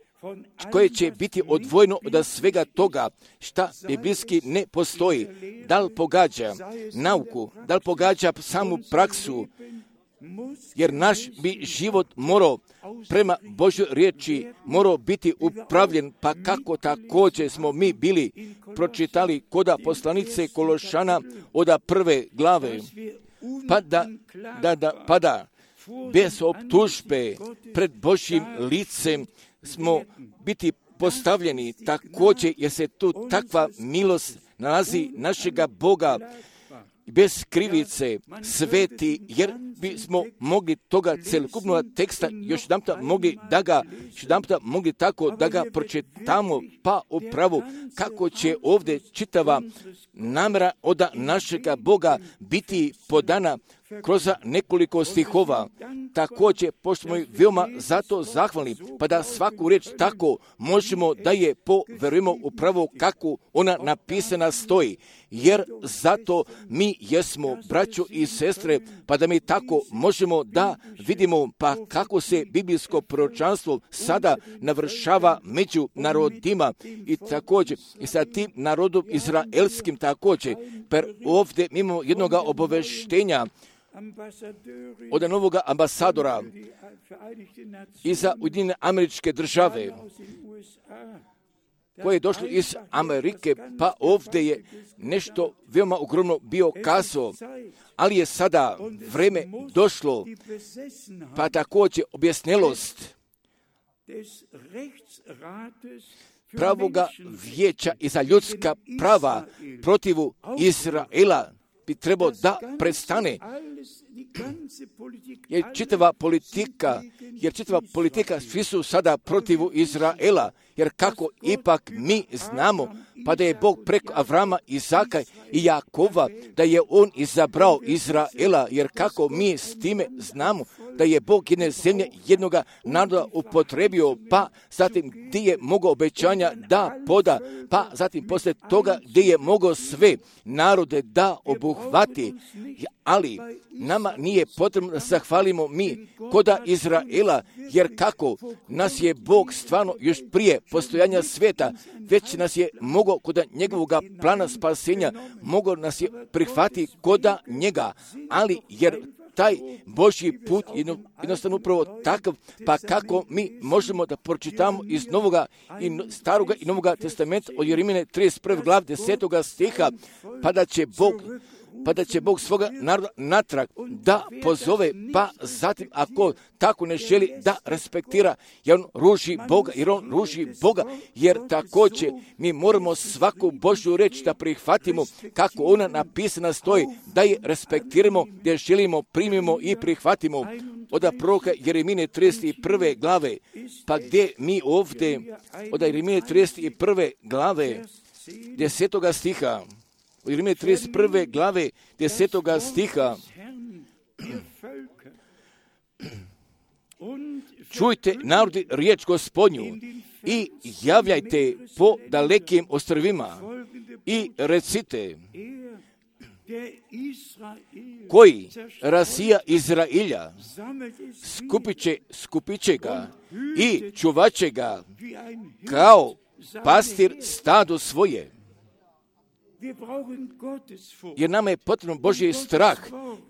koje će biti odvojeno od svega toga šta biblijski ne postoji. Da li pogađa nauku, da li pogađa samu praksu, jer naš bi život morao prema Božjoj riječi morao biti upravljen, pa kako također smo mi bili pročitali koda poslanice Kološana od prve glave, pa da, da, da, pa da bez optužbe pred Božjim licem smo biti postavljeni također, jer se tu takva milost nalazi našega Boga, bez krivice, sveti, jer bismo mogli toga celokupnog teksta još jedanputa mogli da ga, još jedanputa mogli tako da ga pročitamo, pa upravo kako će ovdje čitava namjera od našega Boga biti podana kroz nekoliko stihova. Također, pošto smo veoma zato zahvalni, pa da svaku riječ tako možemo da je poverujemo upravo kako ona napisana stoji. Jer zato mi jesmo braćo i sestre, pa da mi tako možemo da vidimo pa kako se biblijsko proročanstvo sada navršava među narodima i također i sa tim narodom izraelskim također. Per ovdje imamo jednog obaveštenja od novog ambasadora iza Ujedinjene Američke Države, koje je došlo iz Amerike, pa ovdje je nešto veoma ogromno bio kazao, ali je sada vreme došlo, pa također objasnelost pravoga vijeća i za ljudska prava protivu Izraela bi trebao da prestane. Jer čitava politika, jer čitava politika, svi su sada protivu Izraela, jer kako ipak mi znamo, pa da je Bog preko Avrama, Izaka i Jakova, da je on izabrao Izraela, jer kako mi s time znamo da je Bog jedne zemlje, jednoga naroda upotrebio, pa zatim gdje je mogao obećanja da poda, pa zatim poslije toga gdje je mogao sve narode da obuhvati, ali nama nije potrebno da zahvalimo mi koda Izraela, jer kako nas je Bog stvarno još prije postojanja svijeta, već nas je mogao koda njegovog plana spasenja, mogao nas je prihvatiti koda njega, ali jer taj Božji put je jednostavno upravo takav, pa kako mi možemo da pročitamo iz Novoga i Staroga i Novoga testamenta od Jeremije trideset prve glave desetoga stiha, pa da će Bog pa da će Bog svoga naroda natrag da pozove, pa zatim ako tako ne želi da respektira, jer on ruži Boga, jer on ruži Boga, jer također mi moramo svaku Božju reč da prihvatimo kako ona napisana stoji, da je respektiramo, da je želimo, primimo i prihvatimo. Od proroka Jeremije trideset prve glave, pa gdje mi ovdje, od Jeremije trideset prve glave, desetoga stiha, od Jeremije trideset prve glave, desetoga stiha, čujte narodi riječ Gospodnju i javljajte po dalekim ostrvima i recite, koji rasija Izrailja, skupit će, skupit će ga i čuvat će ga kao pastir stado svoje. Jer nama je potrebno Božji strah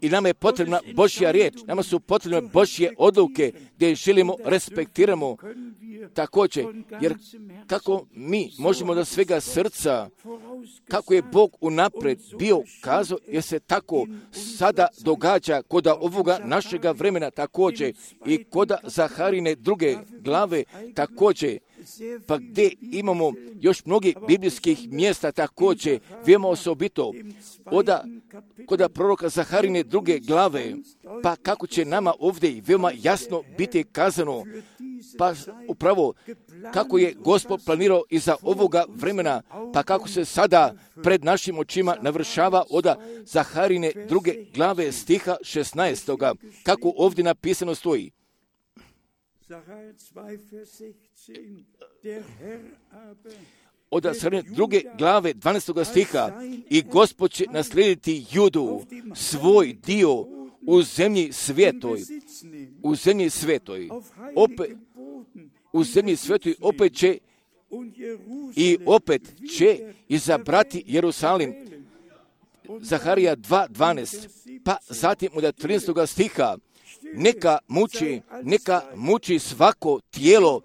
i nama je potrebna Božja riječ, nama su potrebne Božje odluke gdje želimo, respektiramo, također, jer kako mi možemo da svega srca, kako je Bog unaprijed bio kazao, jer se tako sada događa kod ovoga našega vremena također i kod Zaharine druge glave također, pa gdje imamo još mnogih biblijskih mjesta također, veoma osobito oda, kod proroka Zaharine druge glave, pa kako će nama ovdje veoma jasno biti kazano, pa upravo kako je Gospod planirao iza ovoga vremena, pa kako se sada pred našim očima navršava oda Zaharine druge glave stiha šesnaestoga, kako ovdje napisano stoji. Od Zaharine druge glave dvanaestoga stiha, i Gospod će naslijediti Judu, svoj dio u zemlji svetoj, u zemlji svetoj, opet, u zemlji svetoj opet će i opet će izabrati Jerusalim. Zaharija dva dvanaest, pa zatim od trinaestoga stiha, neka muči, neka muči svako tijelo,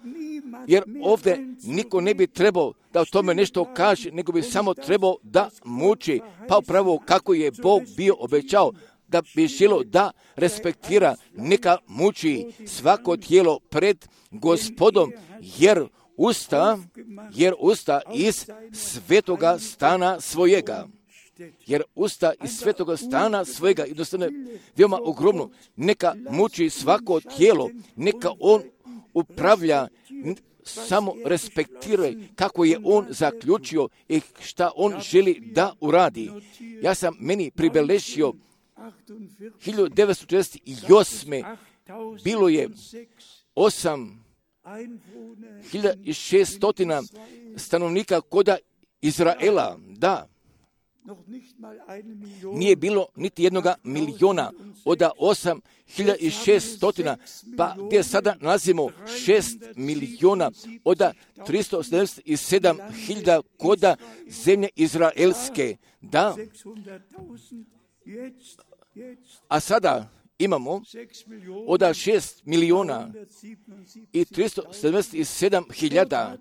jer ovdje niko ne bi trebao da o tome nešto kaže, nego bi samo trebao da muči, pa upravo kako je Bog bio obećao, da bi želo da respektira, neka muči svako tijelo pred Gospodom, jer usta, jer usta iz svetoga stana svojega. Jer usta iz svetoga stana svojega, jednostavno veoma ogromno, neka muči svako tijelo, neka on upravlja, samo respektiraj kako je on zaključio i šta on želi da uradi. Ja sam meni pribeležio hiljadu devetsto četrdeset osme bilo je osam hiljada šeststo stanovnika koda Izraela, da. Nije bilo niti jednoga miliona od osam hiljada šeststo, pa gdje sada nalazimo šest miliona od tristo sedamdeset sedam hiljada koda zemlje izraelske, da. A sada imamo od šest miliona i tristo sedamdeset sedam hiljada,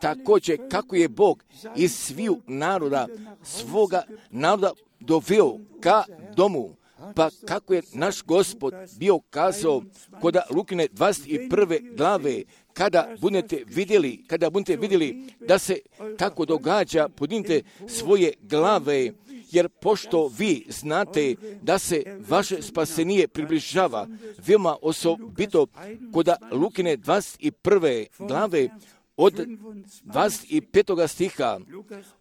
također kako je Bog iz sviju naroda, svoga naroda doveo ka domu, pa kako je naš Gospod bio kazao kod Lukine dvadeset prve glave, kada budete vidjeli, kada budete vidjeli da se tako događa, podignite svoje glave, jer pošto vi znate da se vaše spasenije približava, veoma osobito kod Lukine dvadeset prve glave, od dvadeset petoga stiha,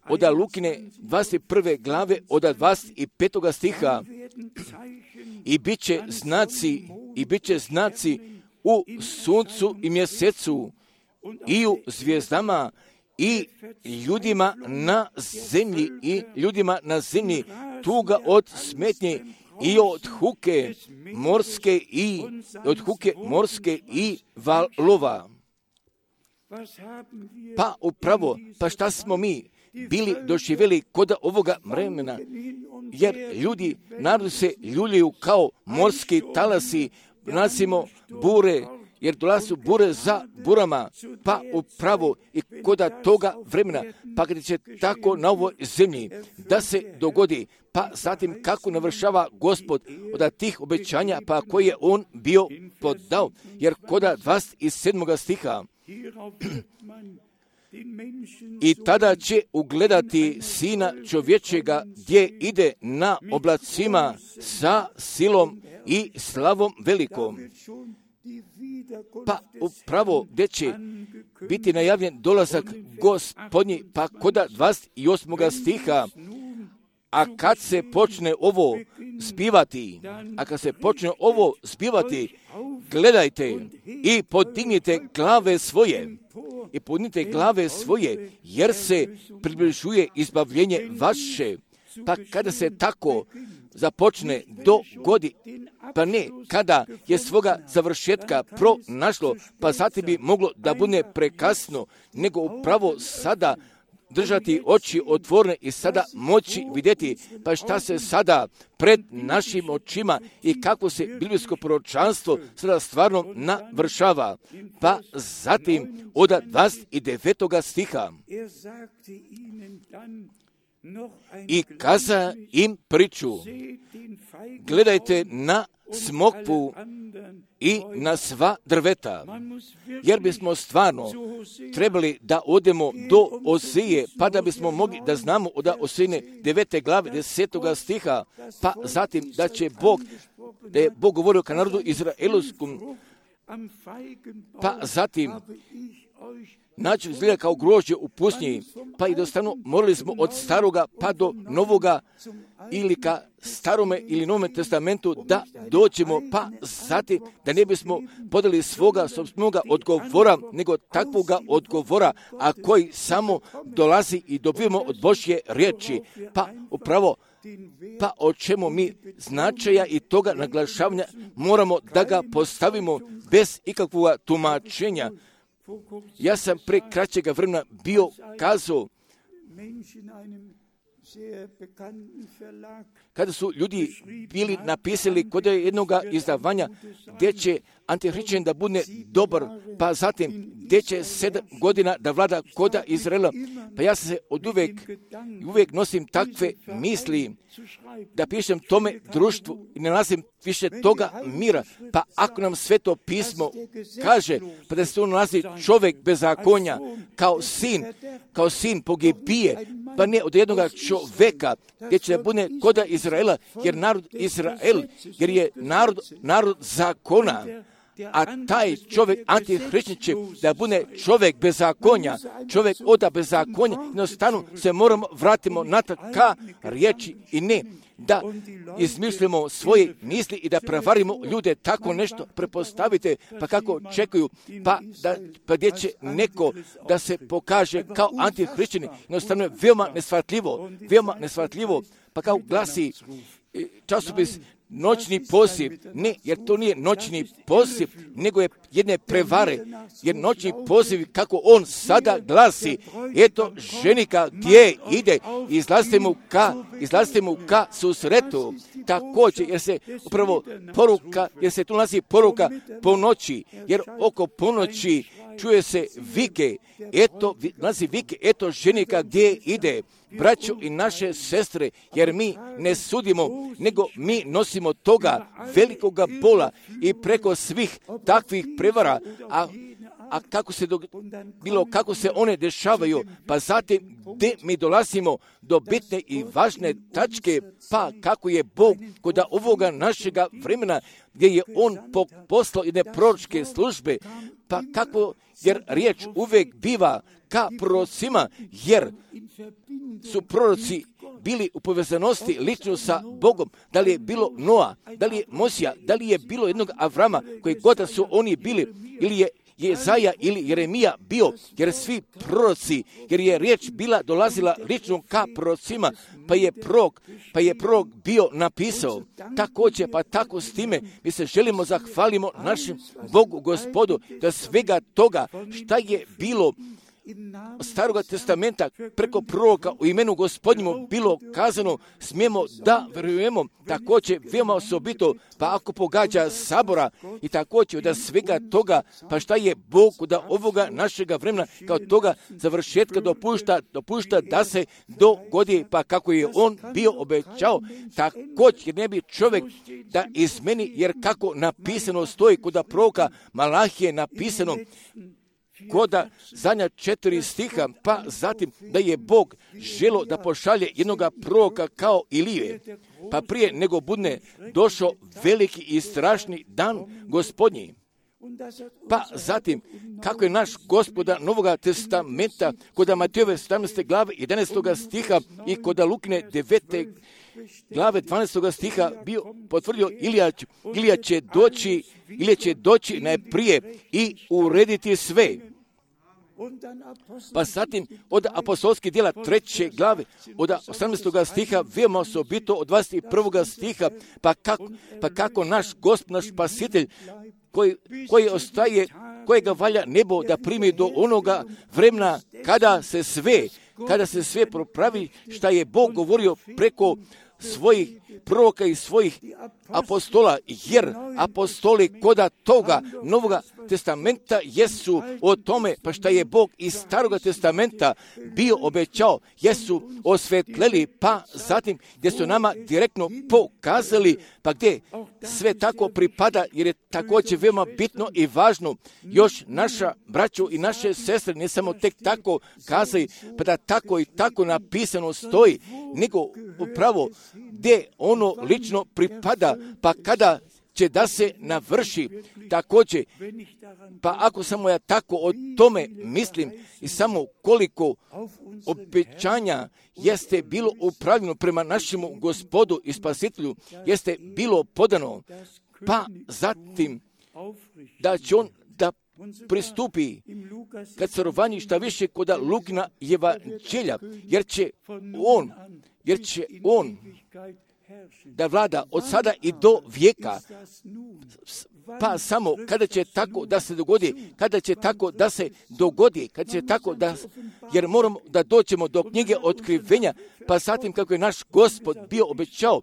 od Lukine dvadeset prve glave, od dvadeset petoga stiha, i bit će znaci, i bit će znaci u suncu i mjesecu, i u zvijezdama, i ljudima na zemlji, i ljudima na zemlji, tuga od smetnje, i od huke morske, i od huke morske i valova. Pa upravo, pa šta smo mi bili doživjeli kod ovoga vremena, jer ljudi, narod se ljuljaju kao morski talasi, nasimo bure, jer dolazu bure za burama, pa upravo i kod toga vremena, pa kada će tako na ovoj zemlji da se dogodi, pa zatim kako navršava Gospod od tih obećanja, pa koje je on bio podao, jer kod dvadeset sedmoga stiha, i tada će ugledati Sina čovječega gdje ide na oblacima sa silom i slavom velikom. Pa upravo gdje će biti najavljen dolazak Gospodnji, pa kod dvadeset osmoga stiha, a kad se počne ovo zbivati, a kad se počne ovo zbivati, gledajte i podignite glave svoje, i podignite glave svoje, jer se približuje izbavljenje vaše. Pa kada se tako započne dogodi, pa ne kada je svoga završetka pronašlo, pa zatim bi moglo da bude prekasno, nego upravo sada držati oči otvorene i sada moći vidjeti, pa šta se sada pred našim očima i kako se biblijsko proročanstvo sada stvarno navršava. Pa zatim od dvadeset devetog stiha i kaza im priču, gledajte na smokvu i na sva drveta, jer bismo stvarno trebali da odemo do Osije, pa da bismo mogli da znamo od Osijine devete glave desetog stiha, pa zatim da će Bog, da je Bog govorio ka narodu izraelskom, pa zatim način izgleda kao grožđe u pustinji, pa i dostanu morali smo od staroga pa do novoga ili ka starome ili novome testamentu da dođemo, pa zatim da ne bismo podali svoga sobstvenoga odgovora, nego takvoga odgovora, a koji samo dolazi i dobijemo od Božje riječi. Pa upravo, pa o čemu mi značaja i toga naglašavanja moramo da ga postavimo bez ikakvog tumačenja. Ja sam pre kraćega vremena bio kazao, kada su ljudi bili napisali kod jednog izdavanja gdje će antihrišćanin da bude dobar, pa zatim gdje će sedam godina da vlada koda Izraela. Pa ja se od uvijek, uvijek nosim takve misli da pišem tome društvu i ne nalazim više toga mira. Pa ako nam Sveto pismo kaže pa da se tu nalazi čovjek bezakonja kao sin, kao sin pogibije, pa ne od jednog čovjeka gdje će da bude koda Izraela, jer narod Izrael, jer je narod, narod zakona, a taj čovjek antihrišćan će da bude čovjek bezakonja, čovjek oda bezakonja, jednostavno se moramo vratimo natrag ka riječi i ne da izmislimo svoje misli i da prevarimo ljude, tako nešto prepostavite, pa kako čekuju, pa, da, pa gdje će neko da se pokaže kao antihrišćani, jednostavno je veoma nesvatljivo, veoma nesvatljivo, pa kao glasi časopis noćni poziv, ne, jer to nije noćni poziv, nego je jedne prevare, jer noćni poziv, kako on sada glasi, eto ženika gdje ide, izlazite mu ka, izlazite mu ka susretu, također, jer se upravo poruka, jer se tu nalazi poruka po noći, jer oko ponoći čuje se vike, eto, nalazi vike, eto ženika gdje ide, braćo i naše sestre, jer mi ne sudimo, nego mi nosimo toga velikoga bola i preko svih takvih prevara, a, a kako se do, bilo kako se one dešavaju, pa zatim gdje mi dolazimo do bitne i važne tačke, pa kako je Bog kod ovoga našega vremena, gdje je On poslao jedne proročke službe, pa kako, jer riječ uvijek biva ka prorocima, jer su proroci bili u povezanosti lično sa Bogom, da li je bilo Noa, da li je Mosija, da li je bilo jednog Avrama, koji god da su oni bili, ili je Jezaja ili Jeremija bio, jer svi proroci, jer je riječ bila dolazila lično ka prorocima, pa je prorok, pa je prorok bio napisao. Također, pa tako s time mi se želimo zahvalimo našem Bogu Gospodu da svega toga šta je bilo Staroga testamenta preko proroka u imenu Gospodnjemu bilo kazano, smijemo da vjerujemo, također veoma osobito, pa ako pogađa sabora i također da svega toga, pa šta je Bog da ovoga našega vremena kao toga završetka dopušta, dopušta da se dogodi, pa kako je On bio obećao, također ne bi čovjek da izmeni, jer kako napisano stoji kod proroka Malahije napisano, koda zadnja četiri stiha, pa zatim da je Bog želo da pošalje jednoga proroka kao Ilije, pa prije nego bude došao veliki i strašni dan Gospodnji. Pa zatim, kako je naš Gospoda Novoga testamenta kod Matejove sedamnaeste glave jedanaestog stiha i kod Lukine devete glave dvanaestog stiha bio potvrdio Ilija, Ilija će doći, Ilija će doći najprije i urediti sve. Pa zatim od apostolskih djela treće glave, od osamnaestog stiha, veoma osobito od dvadeset prvog stiha, pa kako, pa kako naš Gospod, naš Spasitelj, koji, koji ostaje, kojega valja nebo da primi do onoga vremena kada se sve, kada se sve propravi šta je Bog govorio preko svojih proroka i svojih apostola, jer apostoli koda toga Novoga testamenta jesu o tome, pa šta je Bog iz Staroga testamenta bio obećao, jesu osvetleli, pa zatim gdje su nama direktno pokazali, pa gdje sve tako pripada, jer je također veoma bitno i važno, još naša braćo i naše sestre ne samo tek tako kazali, pa da tako i tako napisano stoji, nego upravo gdje ono lično pripada, pa kada će da se navrši također, pa ako samo ja tako o tome mislim i samo koliko obećanja jeste bilo upravljeno prema našemu Gospodu i Spasitelju, jeste bilo podano, pa zatim da će on da pristupi kad carovanji šta više koda Lukina evanđelja, jer će on, jer će on da vlada od sada i do vijeka, pa samo kada će tako da se dogodi, kada će tako da se dogodi, kada će tako da, jer moramo da dođemo do knjige otkrivenja, pa zatim kako je naš Gospod bio obećao,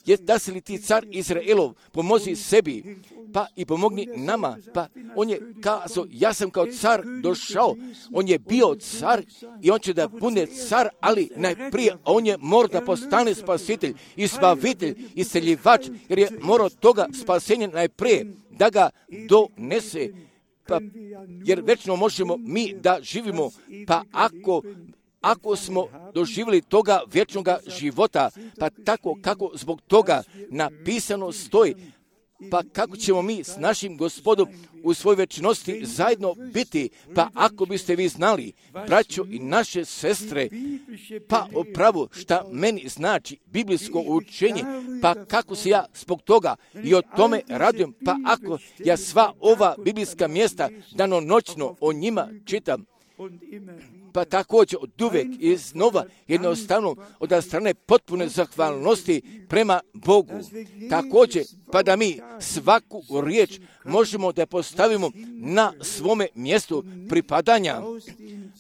je da se li ti car Izraelov pomozi sebi, pa i pomogni nama, pa on je kazao, ja sam kao car došao, on je bio car i on će da bude car, ali najprije on je morao da postane spasitelj i spavitelj i seljivač, jer je morao toga spasenja najprije da ga donese, pa, jer večno možemo mi da živimo, pa ako Ako smo doživjeli toga vječnog života, pa tako kako zbog toga napisano stoji, pa kako ćemo mi s našim Gospodom u svojoj večnosti zajedno biti, pa ako biste vi znali, braćo i naše sestre, pa upravo šta meni znači biblijsko učenje, pa kako se ja zbog toga i o tome radujem, pa ako ja sva ova biblijska mjesta danonoćno o njima čitam, pa također od uvijek i znova jednostavno od strane potpune zahvalnosti prema Bogu. Također, pa da mi svaku riječ možemo da postavimo na svome mjestu pripadanja,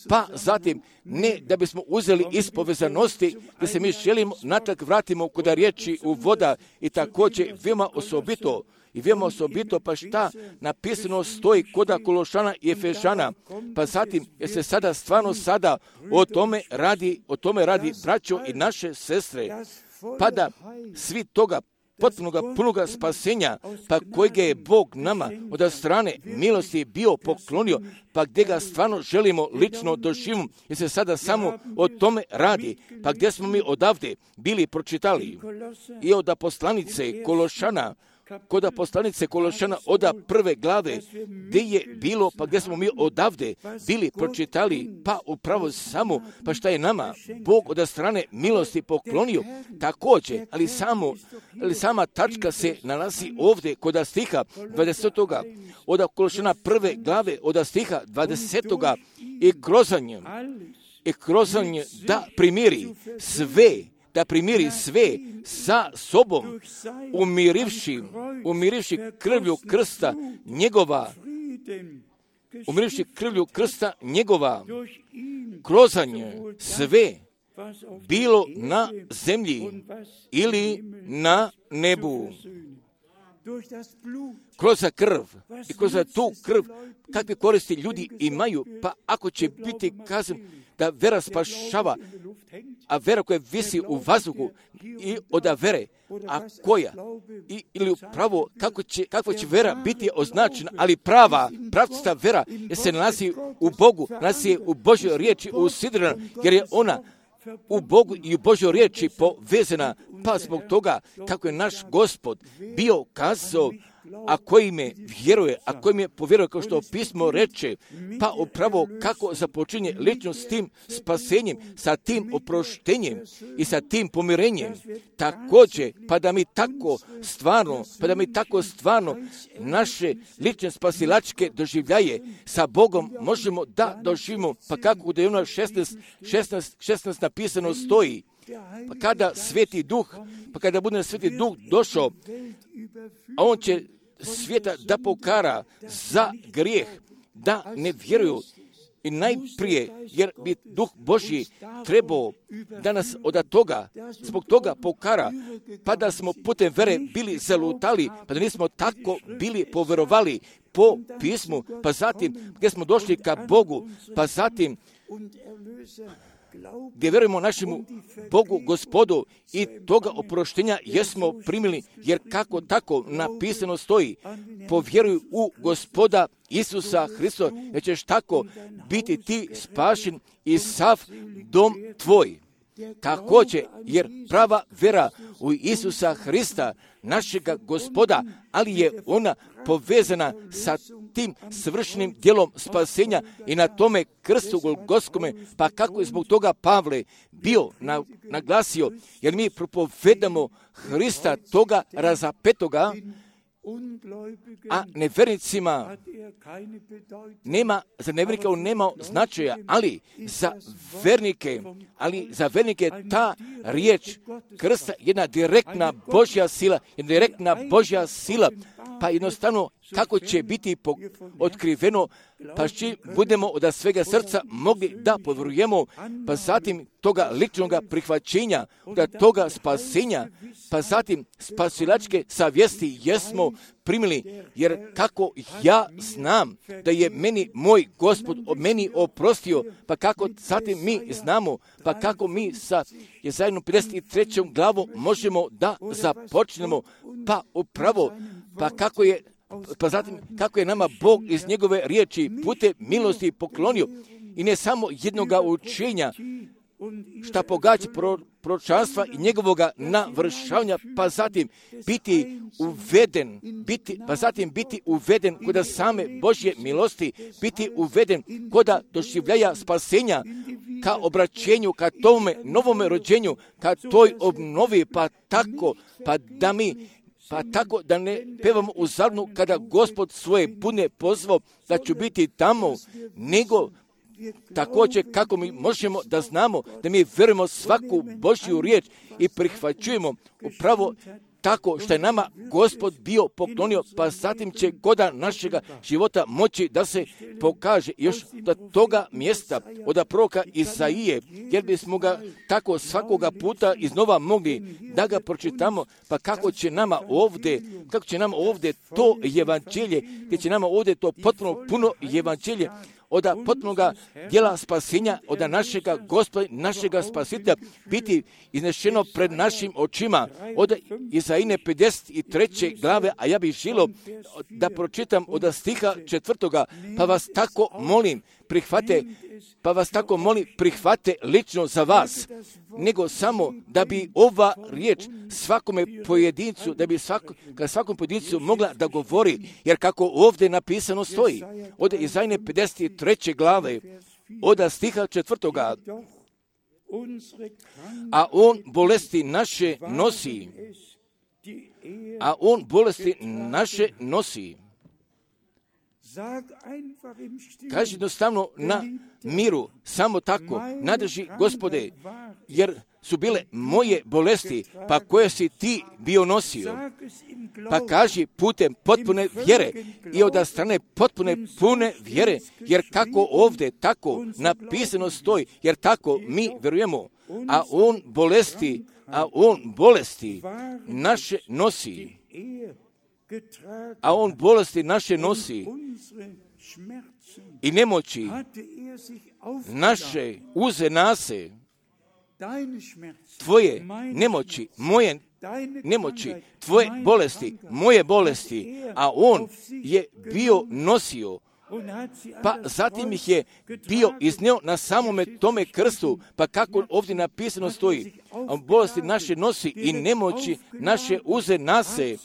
pa zatim ne da bismo uzeli iz povezanosti, da se mi želimo natrag vratimo kod riječi u voda i također veoma osobito, I veoma osobito, pa šta napisano stoji koda Kološana i Efežana, pa zatim jer se sada stvarno sada o tome radi, o tome radi braćo i naše sestre, pa da svi toga potpunoga punoga spasenja, pa kojega je Bog nama od strane milosti bio poklonio, pa gdje ga stvarno želimo lično doživimo, jer se sada samo o tome radi, pa gdje smo mi odavde bili pročitali i od poslanice Kološana, kod poslanice Kološana oda prve glave, gdje je bilo, pa gdje smo mi odavde bili pročitali, pa upravo samo, pa šta je nama Bog od strane milosti poklonio, također, ali samo, ali sama tačka se nalazi ovdje kod stiha dvadesetoga od Kološana prve glave od stiha dvadesetoga i krozanje, i krozanje da primiri sve, da primiri sve sa sobom, umirivši, umirivši krvlju krsta njegova, umirivši krvlju krsta njegova, krozanje sve, bilo na zemlji ili na nebu. Kroz krv i kroz tu krv kakve koristi ljudi imaju, pa ako će biti kazan da vera spašava, a vera koja visi u vazduhu i od vere, a koja, i, ili upravo kako će, kakva će vera biti označena, ali prava, pravcita vera jer se nalazi u Bogu, nalazi u Božjoj riječi usidrena, jer je ona u Bogu i u Božjoj riječi povezana, pa zbog toga kako je naš Gospod bio kazao, a koji me vjeruje, a koji me povjeruje, kao što pismo reče, pa upravo kako započinje lično s tim spasenjem, sa tim oproštenjem i sa tim pomirenjem. Također, pa da mi tako stvarno, pa da mi tako stvarno naše lične spasilačke doživljaje sa Bogom možemo da doživimo, pa kako da je ono šesnaest, šesnaest, šesnaest napisano stoji, pa kada Sveti Duh, pa kada bude Sveti Duh došao, a on će svijeta da pokara za grijeh, da ne vjeruju I najprije, jer bi Duh Božji trebao da nas od toga, zbog toga pokara, pa da smo putem vere bili zalutali, pa da nismo tako bili poverovali po pismu, pa zatim gdje smo došli ka Bogu, pa zatim gdje verujemo našemu Bogu, Gospodu, i toga oproštenja jesmo primili, jer kako tako napisano stoji, povjeruj u Gospoda Isusa Hrista, jer ćeš tako biti ti spašen i sav dom tvoj. Također, jer prava vera u Isusa Hrista, našega Gospoda, ali je ona povezana sa tim svršenim djelom spasenja i na tome krstu golgotskome, pa kako je zbog toga Pavle bio na, naglasio, jer mi propovedamo Hrista toga razapetoga, a nevernicima nema, za nevernike on nema značaja, ali za vernike, ali za vernike ta riječ krsta jedna direktna Božja sila, jedna direktna Božja sila, pa jednostavno kako će biti otkriveno, pa či budemo od svega srca mogli da povjerujemo, pa zatim toga ličnog prihvaćenja, da toga spasenja, pa zatim spasilačke savjesti jesmo primili, jer kako ja znam da je meni moj Gospod meni oprostio, pa kako zatim mi znamo, pa kako mi sa Jesajanom pedeset trećom glavom možemo da započnemo, pa upravo, pa kako je Pa zatim, kako je nama Bog iz njegove riječi putem milosti poklonio i ne samo jednoga učenja, šta pogađa pro, proročanstva i njegovoga navršavanja, pa zatim biti uveden, biti, pa zatim biti uveden kod same Božje milosti, biti uveden kod doživljaja spasenja, ka obraćenju, ka tome novome rođenju, ka toj obnovi, pa tako, pa da mi Pa tako da ne pevamo u zadnu kada Gospod svoje budne pozvao da ću biti tamo, nego također kako mi možemo da znamo da mi verujemo svaku Božju riječ i prihvaćujemo upravo tako što je nama Gospod bio poklonio, pa zatim će goda našega života moći da se pokaže još do toga mjesta od proroka Isaije, jer bismo ga tako svakoga puta iznova mogli da ga pročitamo, pa kako će nama ovdje, kako će nama ovdje to evanđelje, gdje će nama ovdje to potpuno puno evanđelje, od potpunoga djela spasenja, od našega Gospoda, našega Spasitelja, biti iznešeno pred našim očima, od Isaije pedeset treće glave, a ja bih želio da pročitam od stiha četvrtoga, pa vas tako molim, prihvate, pa vas tako molim, prihvate lično za vas, nego samo da bi ova riječ svakome pojedincu, da bi svako, svakom pojedincu mogla da govori, jer kako ovdje napisano stoji, od Isaije pedeset treće glave, od stiha četvrtoga, a on bolesti naše nosi, a on bolesti naše nosi. Kaži jednostavno na miru, samo tako, nadrži Gospode, jer su bile moje bolesti, pa koje si ti bio nosio. Pa kaži putem potpune vjere i od strane potpune pune vjere, jer kako ovdje tako napisano stoji, jer tako mi verujemo, a on bolesti, a on bolesti naše nosi. A on bolesti naše nosi i nemoći naše uze nase, tvoje nemoći, moje nemoći, tvoje bolesti, moje bolesti, a on je bio nosio, pa zatim ih je bio iznio na samome tome krstu, pa kako ovdje napisano stoji, a bolesti naše nosi i nemoći naše uze nase,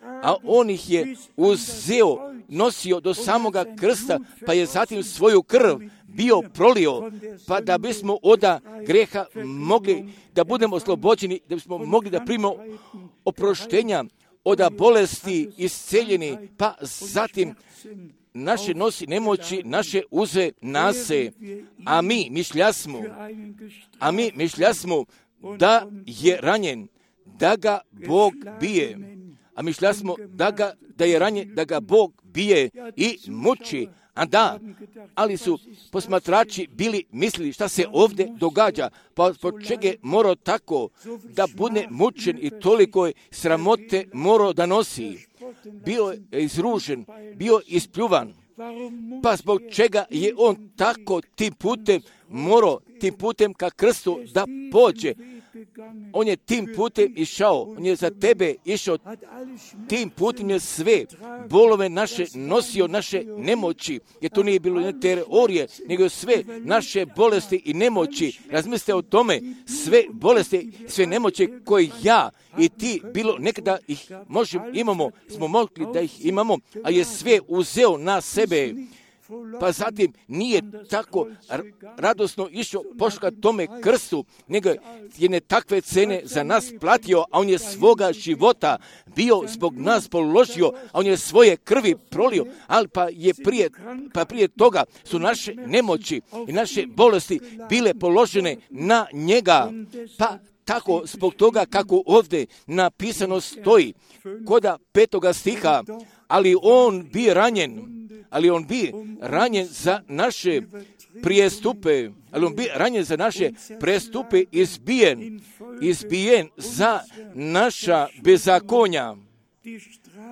a on ih je uzeo, nosio do samoga krsta, pa je zatim svoju krv bio prolio, pa da bismo od greha mogli da budemo oslobođeni, da bismo mogli da primimo oproštenja, od bolesti isceljeni, pa zatim naše nosi nemoći, naše uze nase, a mi mišljasmo, a mi mišljasmo da je ranjen, da ga Bog bije, a mišljasmo da, ga, da je ranjen, da ga Bog bije i muči, A da, ali su posmatrači bili mislili šta se ovdje događa, pa po čega je morao tako da bude mučen i toliko sramote morao da nosi. Bio je izružen, bio ispljuvan. Pa zbog čega je on tako tim putem morao, tim putem ka krstu da pođe. On je tim putem išao, on je za tebe išao, tim putem je sve bolove naše nosio, naše nemoći, jer to nije bilo ne teorije, nego sve naše bolesti i nemoći. Razmislite o tome, sve bolesti, sve nemoći koje ja i ti bilo nekada ih možemo, imamo, smo mogli da ih imamo, a je sve uzeo na sebe. Pa zatim nije tako radosno išao poška tome krstu, nego je ne takve cene za nas platio, a on je svoga života bio zbog nas položio, a on je svoje krvi prolio, ali pa je prije, pa prije toga su naše nemoći i naše bolesti bile položene na njega. Pa tako zbog toga kako ovdje napisano stoji, koda petoga stiha, ali on bi ranjen, ali on bi ranjen za naše prijestupe, ali on bi ranjen za naše prestupe, izbijen, izbijen za naša bezakonja.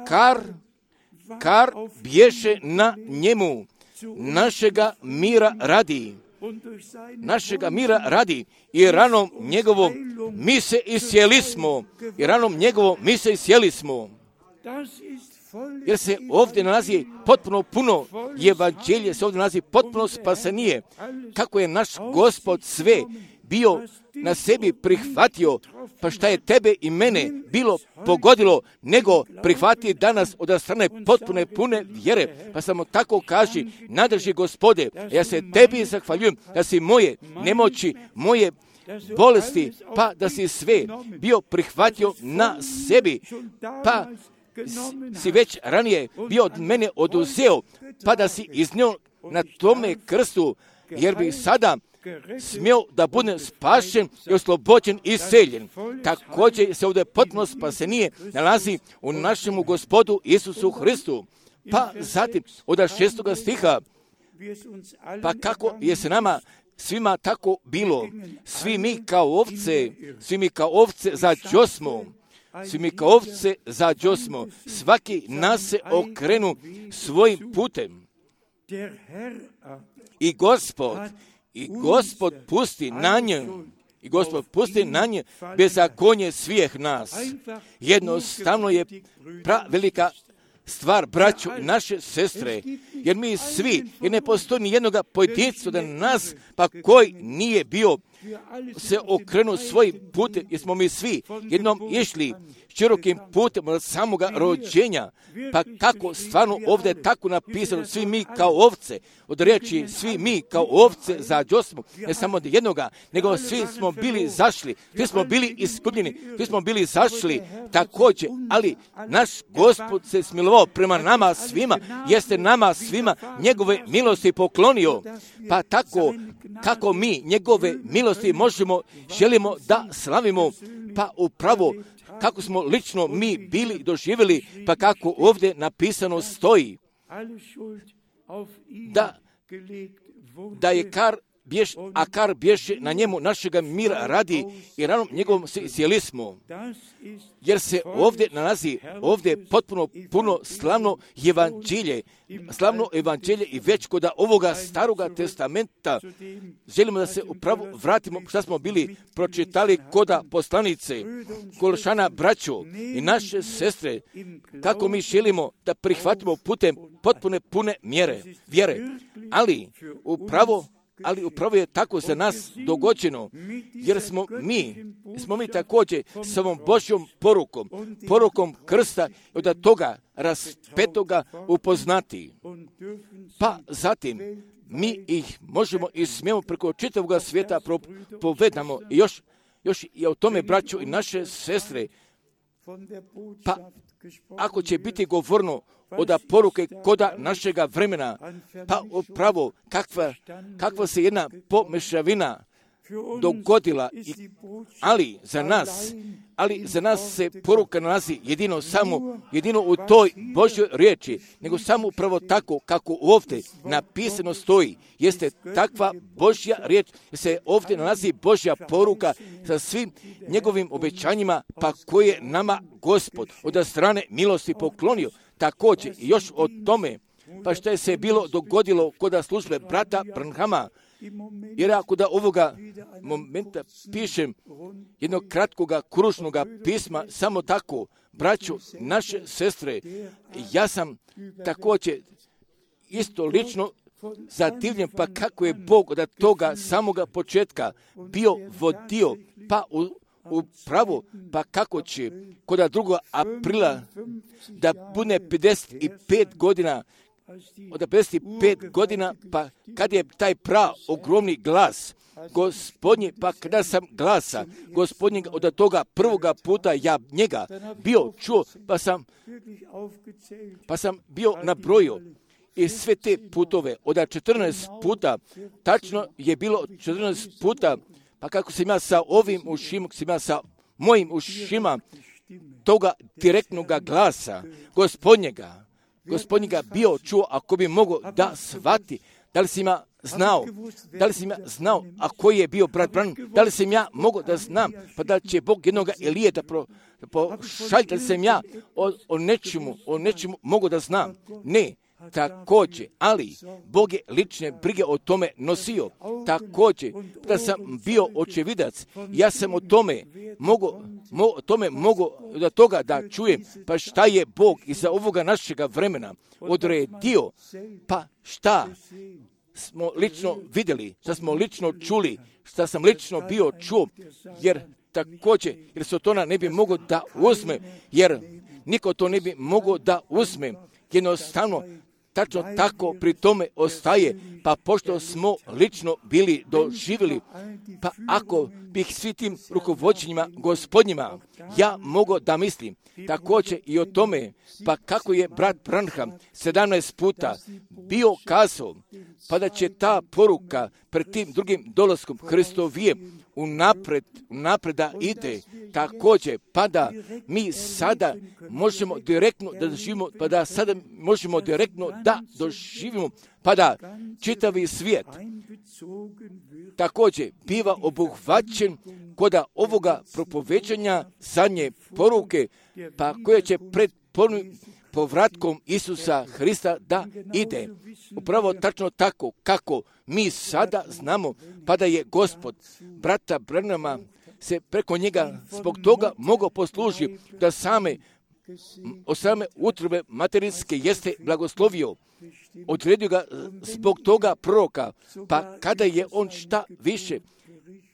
Kar, kar bješe na njemu, našega mira radi, našega mira radi i ranom njegovom mi se isjeli smo, i ranom njegovom mi se isjeli smo. Jer se ovdje nalazi potpuno puno evanđelje, se ovdje nalazi potpuno spasenije. Kako je naš Gospod sve bio na sebi prihvatio, pa šta je tebe i mene bilo pogodilo, nego prihvati danas od strane potpune pune vjere. Pa samo tako kaži, nadrži Gospode, ja se tebi zahvaljujem da si moje nemoći, moje bolesti, pa da si sve bio prihvatio na sebi, pa si već ranije bio od mene oduzeo, pa da si iznio na tome krstu, jer bi sada smio da budem spašen i oslobođen i iseljen. Također se ovdje potpuno spasenije nalazi u našemu Gospodu Isusu Hristu. Pa zatim od šestoga stiha, pa kako je se nama svima tako bilo, svi mi kao ovce, svi mi kao ovce zađosmo, svi mi kao ovce zađosmo, svaki nas se okrenu svojim putem. I Gospod, i Gospod pusti na nje, i Gospod pusti na nje bezakonje svih nas. Jednostavno je pra velika stvar, braćo i naše sestre, jer mi svi, jer ne postoji ni jednoga pojedinca da nas, pa koji nije bio se okrenuo svojim putem, jer smo mi svi jednom išli širokim putem od samoga rođenja. Pa kako stvarno ovdje je tako napisano, svi mi kao ovce, od riječi svi mi kao ovce zađosmo, ne samo od jednoga, nego svi smo bili zašli, svi smo bili iskupljeni, svi smo bili zašli također, ali naš Gospod se smilovao prema nama svima, jeste nama svima njegove milosti poklonio. Pa tako kako mi njegove milosti možemo, želimo da slavimo, pa upravo kako smo lično mi bili doživjeli, pa kako ovdje napisano stoji, da, da je kar bješ, a kar bješe na njemu našega mira radi i ranom njegovom se isjeli smo. Jer se ovdje nalazi, ovdje potpuno puno slavno evanđelje, slavno evanđelje i već kod ovoga staroga testamenta želimo da se upravo vratimo što smo bili pročitali koda poslanice, Kološana braćo i naše sestre, kako mi želimo da prihvatimo putem potpune pune mjere, vjere, ali upravo Ali upravo je tako za nas dogođeno, jer smo mi, smo mi također s ovom Božjom porukom, porukom krsta od toga raspetoga upoznati. Pa zatim mi ih možemo i smijemo preko čitavog svijeta povedamo i još, još i o tome braćo i naše sestre. Pa ako će biti govorno od poruke koda našega vremena, pa upravo kakva, kakva se jedna pomešavina dogodila, ali za nas, ali za nas se poruka nalazi jedino samo, jedino u toj Božjoj riječi, nego samo upravo tako kako ovdje napisano stoji. Jeste takva Božja riječ, se ovdje nalazi Božja poruka sa svim njegovim obećanjima, pa koje nama Gospod od strane milosti poklonio. Također još o tome, pa što je se bilo dogodilo kod službe brata Branhama, jer ako da ovoga momenta pišem jednog kratkoga kružnoga pisma, samo tako, braćo, naše sestre, ja sam također isto lično zadivljen, pa kako je Bog od toga samoga početka bio vodio, pa u, u pravo, pa kako će kod drugog aprila da bude pedeset pet godina, od pedeset pet godina, pa kad je taj pra ogromni glas Gospodnji, pa kada sam glasa Gospodnjega od toga prvoga puta ja njega bio čuo, pa sam, pa sam bio nabrojio i sve te putove od četrnaest puta, tačno je bilo četrnaest puta, pa kako sam ja sa ovim ušima, sam ja sa mojim ušima toga direktnoga glasa Gospodnjega, Gospodnjega bio čuo, ako bi mogao da shvati, da li sam ja znao, da li sam ja znao, a koji je bio brat Branham, da li sam ja mogao da znam, pa da će Bog jednoga Elije da pošalje, da li sam ja o, o nečemu, o nečemu mogao da znam. Ne, također, ali Bog je lične brige o tome nosio. Također, da sam bio očevidac, ja sam o tome mogu, mo, o tome mogu da toga da čujem, pa šta je Bog iza ovoga našega vremena odredio, pa šta smo lično vidjeli, šta smo lično čuli, šta sam lično bio čuo, jer također, jer se to ne bi mogao da uzme, jer niko to ne bi mogao da uzme, jednostavno, tačno tako pri tome ostaje, pa pošto smo lično bili doživjeli, pa ako bih svi tim rukovođenjima Gospodnjima, ja mogu da mislim također i o tome, pa kako je brat Branham sedamnaest puta bio kazao, pa da će ta poruka pred tim drugim dolaskom Hristovijem unapred, unapred da ide, također, pa da mi sada možemo direktno da doživimo, pa da sada možemo direktno da doživimo, pa da čitavi svijet također biva obuhvaćen kod ovoga propoveđanja zadnje poruke, pa koje će pred povratkom Isusa Hrista da ide. Upravo tačno tako kako mi sada znamo, pa da je Gospod brata Branhama se preko njega zbog toga mogao poslužiti da same od same utrobe materijske jeste blagoslovio. Odredio ga zbog toga proroka, pa kada je on šta više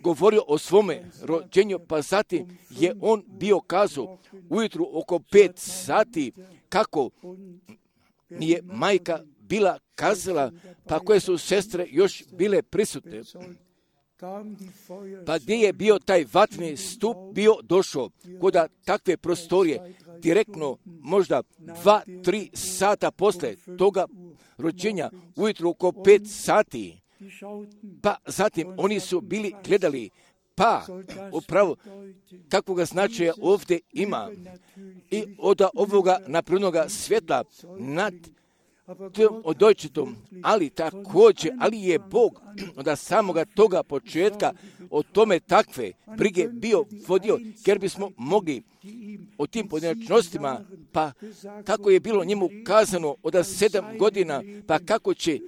govorio o svome rođenju, pa zatim je on bio kazao ujutru oko pet sati kako nije majka bila kazala, pa koje su sestre još bile prisutne. Pa gdje je bio taj vatni stup bio došao, koda takve prostorije, direktno možda dva, tri sata posle toga rođenja, ujutru oko pet sati, pa zatim oni su bili gledali, pa upravo kakvoga značaja ovdje ima i od ovoga naprednoga svjetla nad tom odojčitom, ali također, ali je Bog od samoga toga početka o tome takve brige bio vodio, jer bismo mogli o tim pojedinačnostima, pa kako je bilo njemu kazano od sedam godina, pa kako će,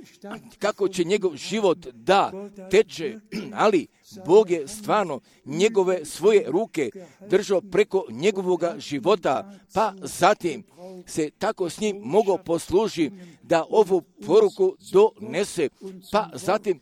kako će njegov život da teče, ali Bog je stvarno njegove svoje ruke držao preko njegovoga života, pa zatim se tako s njim mogao poslužiti da ovu poruku donese, pa zatim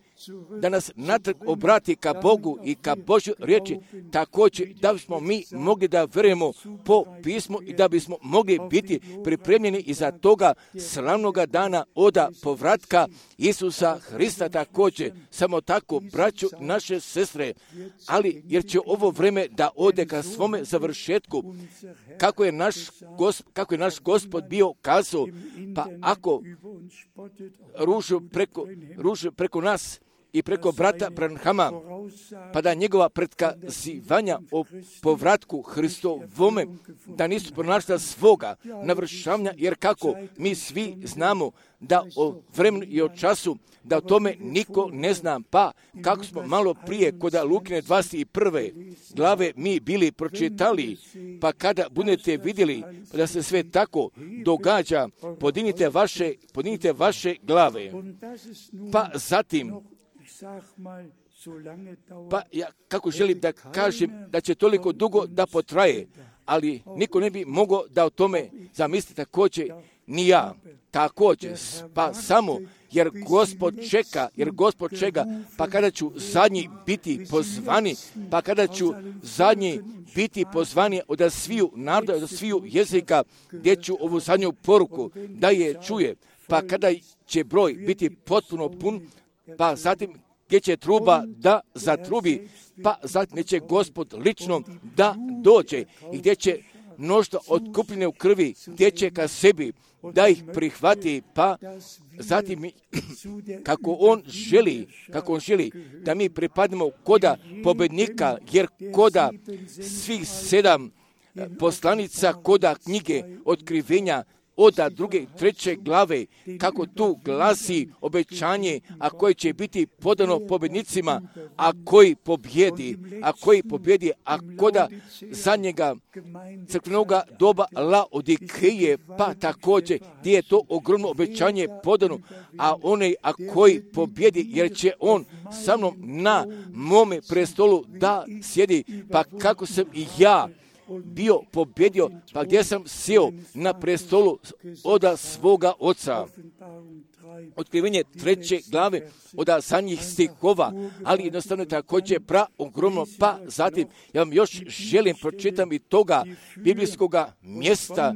da nas natrag obrati ka Bogu i ka Božoj riječi, također da bismo mi mogli da vjerujemo po pismu i da bismo mogli biti pripremljeni iza toga slavnoga dana oda povratka Isusa Hrista također. Samo tako, braćo, naše sestre, ali jer će ovo vreme da ode ka svome završetku, kako je naš, gosp, kako je naš Gospod bio kazao, pa ako ružu preko, ružu preko nas i preko brata Branhama, pa da njegova predkazivanja o povratku Hristovome, da nisu pronašla svoga navršavanja, jer kako mi svi znamo da o vremenu i o času, da o tome niko ne zna, pa kako smo malo prije kod Lukine dvadeset prve glave mi bili pročitali, pa kada budete vidjeli da se sve tako događa, podignite vaše, podignite vaše glave, pa zatim, pa ja kako želim da kažem da će toliko dugo da potraje, ali niko ne bi mogao da o tome zamisli također, ni ja, također, pa samo jer Gospod čeka, jer Gospod čeka, pa kada ću zadnji biti pozvani, pa kada ću zadnji biti pozvani od sviju naroda, od sviju jezika, gdje ću ovu zadnju poruku da je čuje, pa kada će broj biti potpuno pun, pa zatim gdje će truba da zatrubi, pa zatim će Gospod lično da dođe i gdje će mnoštvo otkupljene u krvi, gdje će ka sebi da ih prihvati, pa zatim kako on želi, kako on želi da mi pripadnemo koda pobednika, jer koda svih sedam poslanica, koda knjige otkrivenja, oda druge, treće glave, kako tu glasi obećanje, a koje će biti podano pobjednicima, a koji pobjedi, a koji pobjedi, a koda zadnjega crkvenoga doba Laodikeje, pa također gdje je to ogromno obećanje podano, a onaj a koji pobjedi, jer će on sa mnom na mome prestolu da sjedi, pa kako sam i ja bio pobjedio, pa gdje sam sjeo na prestolu oda svoga oca. Otkrivenje treće glave oda zadnjih stihova, ali jednostavno je također pra ogromno, pa zatim ja vam još želim pročitam i toga biblijskoga mjesta,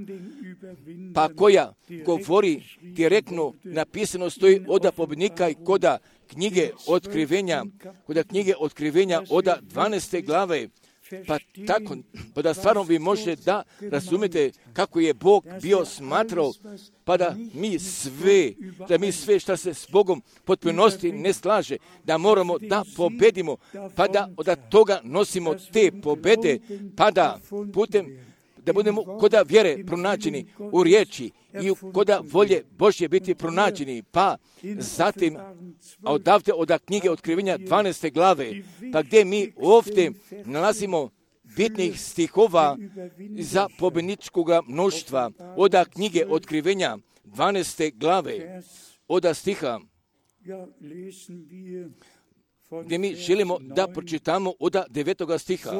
pa koja govori direktno, napisano stoji oda pobjednika i koda knjige otkrivenja, koda knjige otkrivenja oda dvanaeste glave, pa tako, pa da stvarno vi možete da razumijete kako je Bog bio smatrao, pa da mi sve, da mi sve što se s Bogom potpunosti ne slaže, da moramo da pobedimo, pa da od toga nosimo te pobede, pa da putem, da budemo koda vjere pronađeni u riječi i koda volje Božje biti pronađeni, pa zatim odavde od knjige otkrivenja dvanaeste glave, pa gdje mi ovdje nalazimo bitnih stihova za pobjedničkog mnoštva, od knjige otkrivenja dvanaeste glave, od stiha gdje mi želimo da pročitamo od devetoga stiha.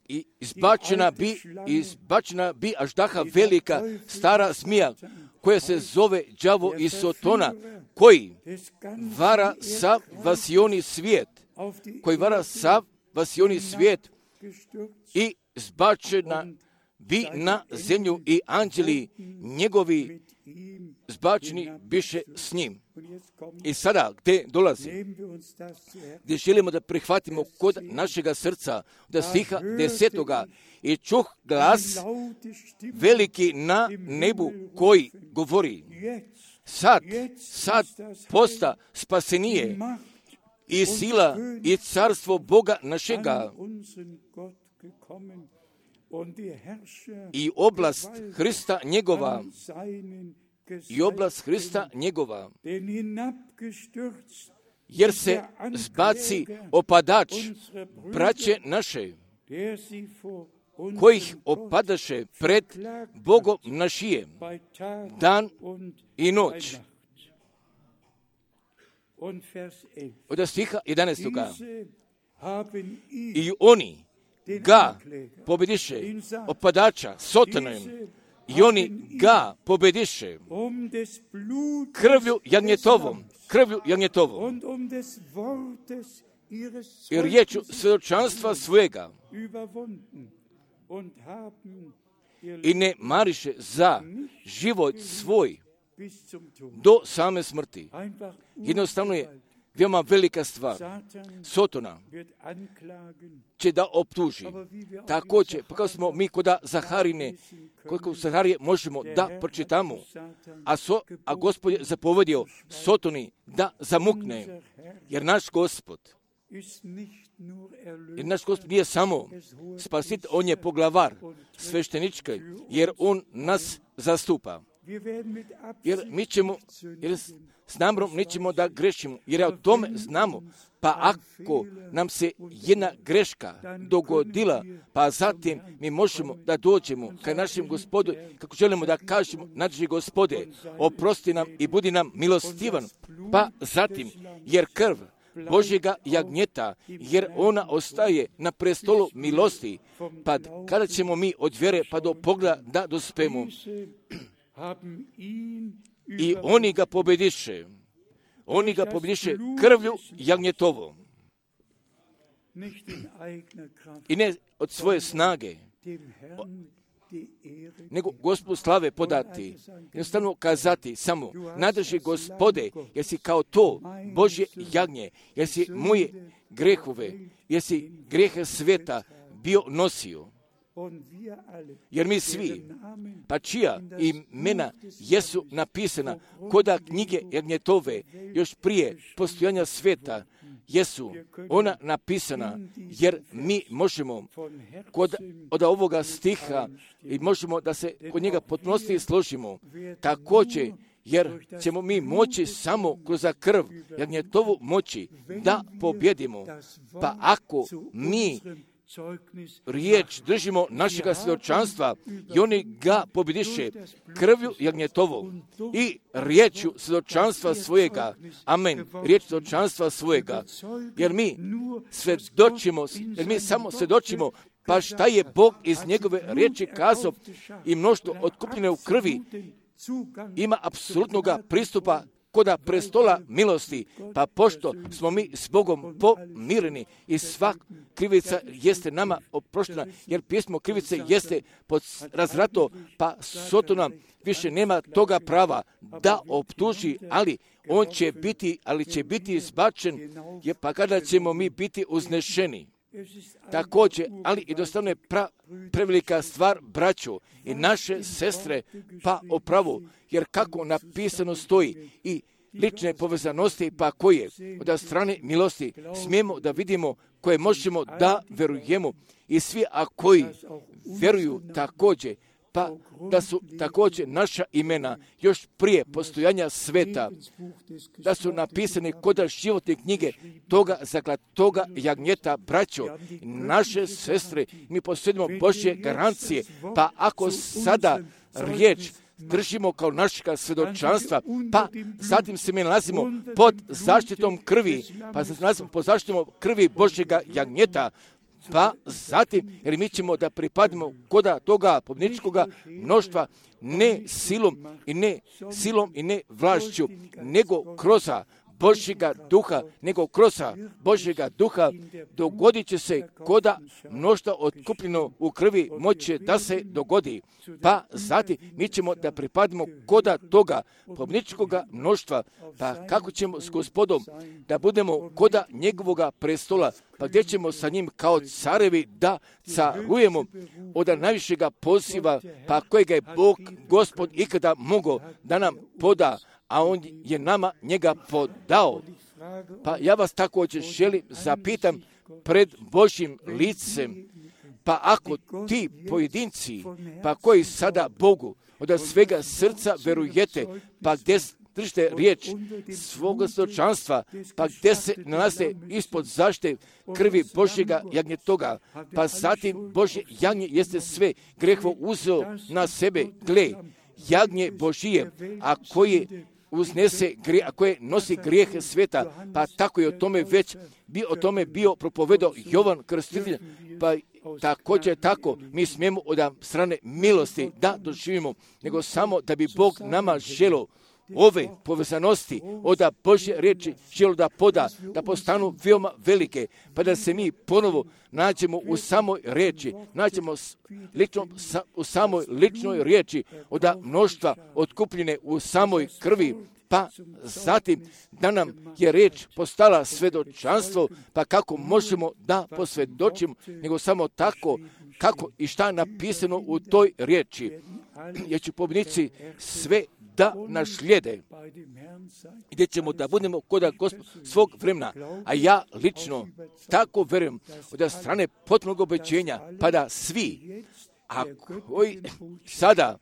I izbačena bi, izbačena bi aždaha velika, stara zmija, koja se zove đavo i Sotona, koji vara sav vasioni svijet, koji vara sav vasioni svijet i zbačena bi na zemlju i anđeli njegovi zbačeni biše s njim. I sada, gdje dolazi? Gdje želimo da prihvatimo kod našega srca, da stiha desetoga, i čuh glas veliki na nebu koji govori, sad, sad posta spasenije i sila i carstvo Boga našega i oblast Hrista njegova, i oblast Hrista njegova, jer se zbaci opadač braće naše, kojih opadaše pred Bogom našijem, dan i noć. Od stiha jedanaestoga. I oni ga pobediše, opadača, Sotonom, i oni ga pobediše krvlju jagnjetovom, krvlju jagnjetovom i riječu svjedočanstva svojega i ne mariše za život svoj do same smrti. Jednostavno je veoma velika stvar. Sotona će da optuži. Također, pa kao smo mi kod Zaharine, koliko Zaharije možemo da pročitamo, a, so, a Gospod je zapovedio Sotoni da zamukne, jer naš Gospod, jer naš Gospod nije samo spasit, on je poglavar sveštenički, jer on nas zastupa. Jer mi ćemo, jer s namjerom nećemo da grešimo, jer o tome znamo. Pa ako nam se jedna greška dogodila, pa zatim mi možemo da dođemo ka našem Gospodu, kako želimo da kažemo, naši Gospode, oprosti nam i budi nam milostivan. Pa zatim, jer krv Božjega jagnjeta, jer ona ostaje na prestolu milosti, pa kada ćemo mi od vjere pa do pogleda da dospemo. I oni ga pobediše. Oni ga pobediše krvlju jagnjetovom. I ne od svoje snage, nego Gospodu slave podati. Jednostavno kazati samo, nadrži Gospode, jer si kao to Božje jagnje, jer si moje grehove, jer si grehe sveta bio nosio. Jer mi svi, pa čija imena jesu napisana koda knjige jagnjetove, još prije postojanja sveta, jesu ona napisana, jer mi možemo kod, od ovoga stiha i možemo da se kod njega potpunosti složimo. Također, jer ćemo mi moći samo kroz krv jagnjetovu moći da pobjedimo. Pa ako mi riječ držimo našega svjedočanstva i oni ga pobjediše krvju jagnjetovom i riječju svjedočanstva svojega. Amen. Riječ svjedočanstva svojega. Jer mi svjedočimo, jer mi samo svjedočimo pa šta je Bog iz njegove riječi kazao i mnoštvo otkupljene u krvi ima apsolutnog pristupa koda prestola milosti, pa pošto smo mi s Bogom pomireni i svak krivica jeste nama oproštena, jer pismo krivice jeste pod razrato, pa Sotona više nema toga prava da optuži, ali on će biti, ali će biti izbačen, je pa kada ćemo mi biti uznešeni. Također, ali i dostavno je pra, prevelika stvar, braćo i naše sestre, pa opravo, jer kako napisano stoji i lične povezanosti, pa koje od strane milosti smijemo da vidimo, koje možemo da verujemo i svi, a koji vjeruju također, pa da su također naša imena još prije postojanja sveta, da su napisane kod životne knjige toga zaklad, toga jagnjeta, braćo, naše sestre, mi posjedimo Božje garancije, pa ako sada riječ držimo kao našega svjedočanstva, pa zatim se mi nalazimo pod zaštitom krvi, pa se nalazimo pod zaštitom krvi Božjega jagnjeta, pa zatim, jer mi ćemo da pripadimo koda toga pobjedničkoga mnoštva, ne silom i ne silom i ne vlašću, nego kroz Božjega duha, nego kroz Božjega duha dogodit će se koda mnoštva otkupljeno u krvi moće da se dogodi. Pa zatim mi ćemo da pripadimo koda toga pobjedničkoga mnoštva, pa kako ćemo s Gospodom da budemo koda njegovoga prestola, pa gdje ćemo sa njim kao carevi da carujemo od najvišega poziva, pa kojega je Bog, Gospod ikada mogao da nam poda, a on je nama njega podao. Pa ja vas također želim zapitam pred Božjim licem, pa ako ti pojedinci, pa koji sada Bogu od svega srca verujete, pa gdje držite riječ svoga svjedočanstva, pa gdje se nalaze ispod zaštite krvi Božjega jagnjetoga, pa zatim Božje jagnje jeste sve greho uzeo na sebe, gle, jagnje Božije, a koje uznese, a koje nosi grijehe sveta, pa tako je o tome već bi o tome bio propovedao Jovan Krstitelj, pa također tako mi smijemo od strane milosti da doživimo, nego samo da bi Bog nama želio ove povezanosti od Božje riječi želio da poda, da postanu veoma velike, pa da se mi ponovo nađemo u samoj riječi, nađemo lično, u samoj ličnoj riječi od mnoštva otkupljene u samoj krvi pa zatim da nam je riječ postala svedočanstvo, pa kako možemo da posvjedočimo, nego samo tako kako i šta napisano u toj riječi. Jer će pobjednici sve da nas slijede, gdje ćemo da budemo kod Gospod svog vremena. A ja lično tako vjerujem od strane potpunog obećenja, pa da svi, a koji sada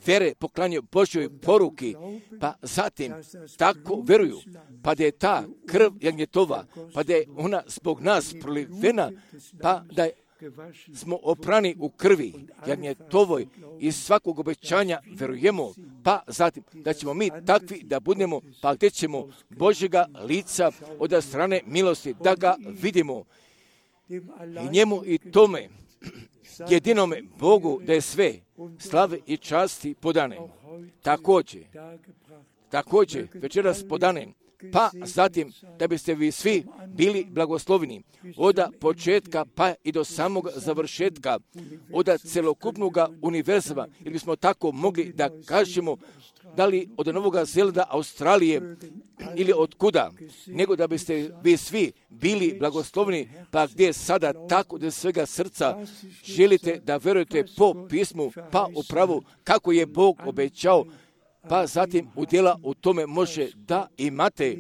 vere poklanjaju Božjoj poruki, pa zatim tako vjeruju, pa da je ta krv jagnjetova, pa da je ona zbog nas prolivena, pa da smo oprani u krvi jagnjetovoj i svakog obećanja vjerujemo, pa zatim da ćemo mi takvi da budemo, pa gdje ćemo Božjega lica od strane milosti da ga vidimo. I njemu i tome jedinome Bogu da je sve slave i časti podane. Također, također večeras podane, pa zatim da biste vi svi bili blagosloveni od početka pa i do samog završetka, od celokupnog univerzuma, ili bismo tako mogli da kažemo, da li od Novog Zelanda, Australije ili od kuda, nego da biste vi svi bili blagosloveni, pa gdje sada tako da svega srca želite da vjerujete po pismu, pa upravo kako je Bog obećao, pa zatim udjela u tome može da imate,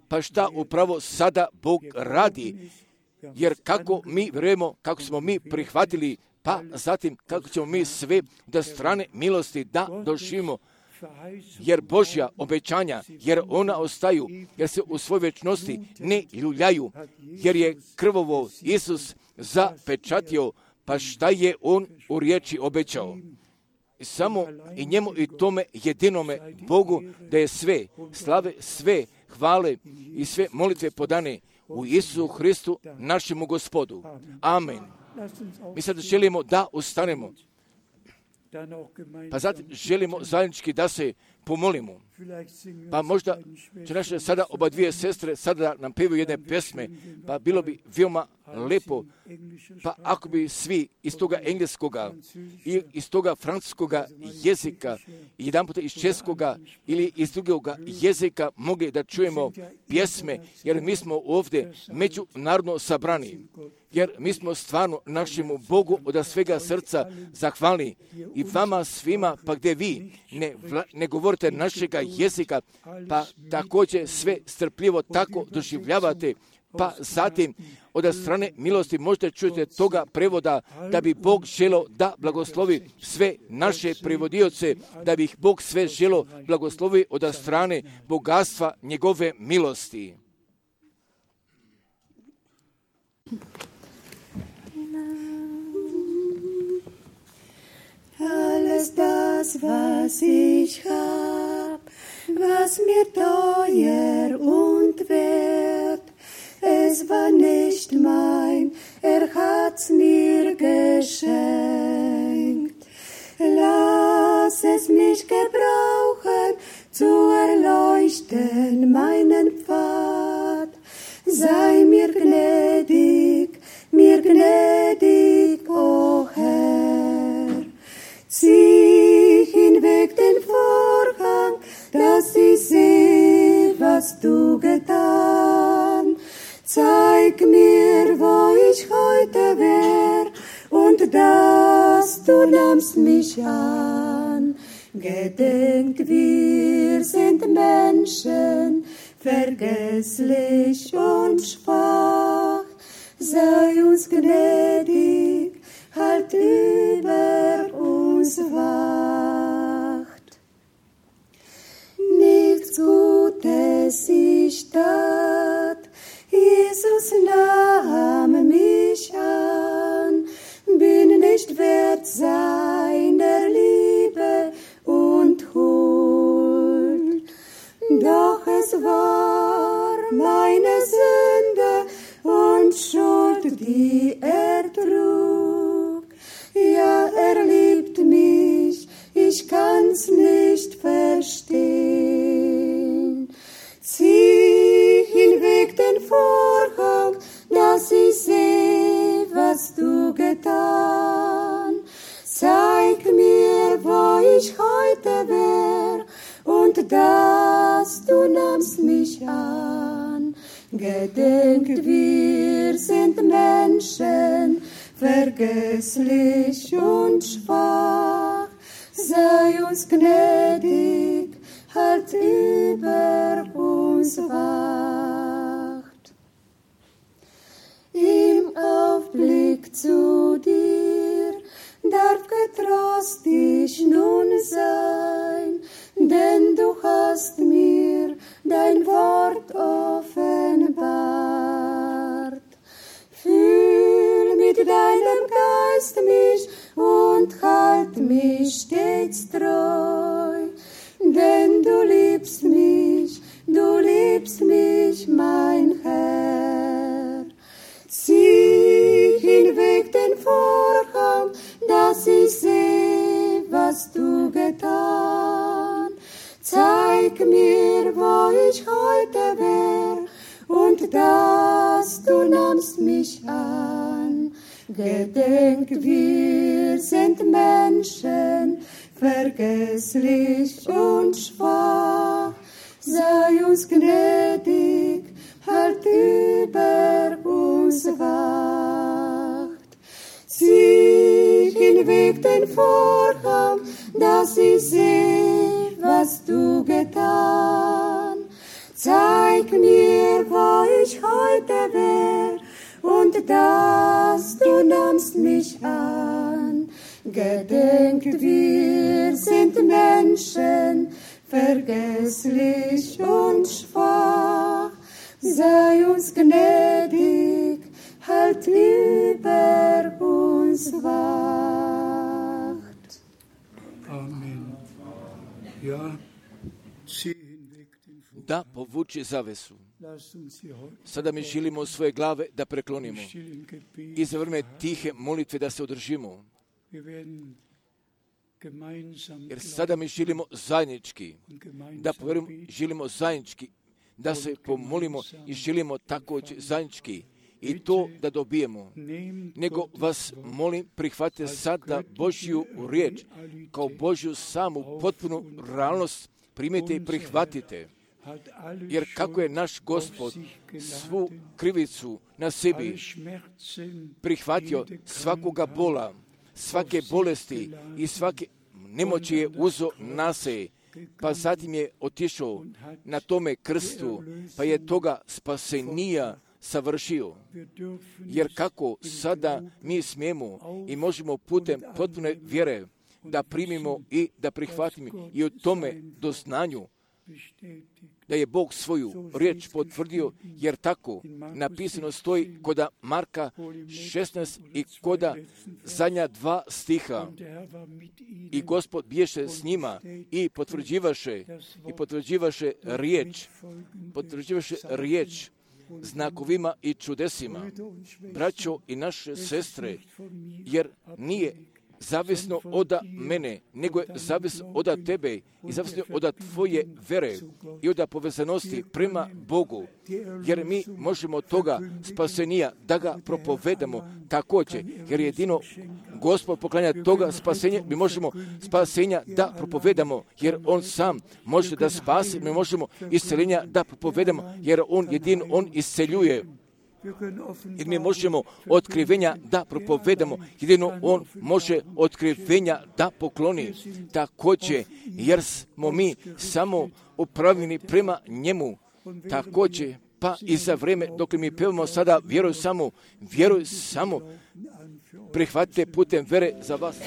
pa šta upravo sada Bog radi, jer kako mi vjerujemo, kako smo mi prihvatili, pa zatim kako ćemo mi sve da strane milosti da doživimo, jer Božja obećanja, jer ona ostaju, jer se u svojoj večnosti ne ljuljaju, jer je krvovo Isus zapečatio, pa šta je on u riječi obećao. Samo i njemu i tome jedinome Bogu da je sve slave, sve hvale i sve molitve podane u Isusu Hristu, našemu Gospodu. Amen. Mi sad želimo da ustanemo, pa zatim želimo zajednički da se pomolimo. Pa možda će naše sada oba dvije sestre sada nam pevaju jedne pesme, pa bilo bi veoma lepo, pa ako bi svi iz toga engleskoga i iz toga francuskoga jezika, jedan puta iz českoga ili iz drugoga jezika mogli da čujemo pjesme, jer mi smo ovdje međunarodno sabrani, jer mi smo stvarno našemu Bogu od svega srca zahvalni i vama svima, pa gdje vi ne, vla, ne govorite našega jezika, pa također sve strpljivo tako doživljavate, pa zatim od strane milosti možete čujete toga prevoda da bi Bog želo da blagoslovi sve naše prevodioce, da bi ih Bog sve želo blagoslovi od strane bogatstva njegove milosti. Alles das, was ich hab, was mir teuer und wert, es war nicht mein, er hat's mir geschenkt. Lass es mich gebrauchen, zu erleuchten meinen Pfad. Sei mir gnädig, mir gnädig, o Herr. Zieh hinweg den Vorhang, dass ich seh, was du getan. Zeig mir, wo ich heute wär, und dass du nahmst mich an. Gedenk, wir sind Menschen, vergesslich und schwach. Sei uns gnädig, halt über uns wacht. Nichts Gutes ich tat, Jesus nahm mich an, bin nicht wert seiner Liebe und Huld. Doch es war meine Sünde und Schuld, die er trug. Ja, er liebt mich, ich kann's nicht verstehen. Zieh hinweg den Vorhang, dass ich seh, was du getan. Zeig mir, wo ich heute wär, und dass du nahmst mich an. Gedenkt, wir sind Menschen, vergesslich und schwach. Sei uns gnädig, halt über uns wacht. Im Aufblick zu dir darf getrost ich nun sein, denn du hast mir dein Wort offenbart. Fühl mit deinem Geist mich und halt mich stets treu, denn du liebst mich, du liebst mich, mein Herr. Zieh hinweg den Vorhang, dass ich seh, was du getan. Zeig mir, wo ich heute wär, und dass du nahmst mich an. Gedenk, wir sind Menschen, vergesslich und schwach. Sei uns gnädig, halt über uns wacht. Zieh hinweg den Vorhang, dass ich seh, was du getan. Zeig mir, wo ich heute wär, und dass du nahmst mich an. Gedenk, wir sind Menschen, vergesslich und schwach. Sei uns gnädig, halt über uns wacht. Amen. Ja, zieh hinweg den Vorhang. Da povuči zavesu. Sada mi želimo svoje glave da preklonimo i za vreme tihe molitve da se održimo. Jer sada mi želimo zajednički, da povjerujemo, želimo zajednički, da se pomolimo i želimo također zajednički i to da dobijemo. Nego vas molim, prihvatite sada Božju riječ kao Božju samu potpunu realnost, primite i prihvatite. Jer kako je naš Gospod svu krivicu na sebi prihvatio, svakoga bola, svake bolesti i svake nemoći je uzo na se, pa zatim je otišao na tome krstu, pa je toga spasenija savršio. Jer kako sada mi smijemo i možemo putem potpune vjere da primimo i da prihvatimo i o tome doznanju da je Bog svoju riječ potvrdio, jer tako napisano stoji koda Marka šesnaest i koda zadnja dva stiha. I Gospod biješe s njima i potvrđivaše i potvrđivaše riječ, potvrđivaše riječ znakovima i čudesima. Braćo i naše sestre, jer nije zavisno od mene, nego je zavisno od tebe i zavisno od tvoje vere i od povezanosti prema Bogu. Jer mi možemo toga spasenija da ga propovedamo također, jer jedino Gospod poklanja toga spasenja, mi možemo spasenja da propovedamo, jer On sam može da spasi, mi možemo isceljenja da propovedamo, jer On jedino On isceljuje. Jer mi možemo otkrivenja da propovedamo, jedino On može otkrivenja da pokloni. Također, jer smo mi samo upravljeni prema njemu. Također, pa i za vrijeme dok mi pevamo sada, vjeruj samo, vjeruj samo, prihvatite putem vere za vas.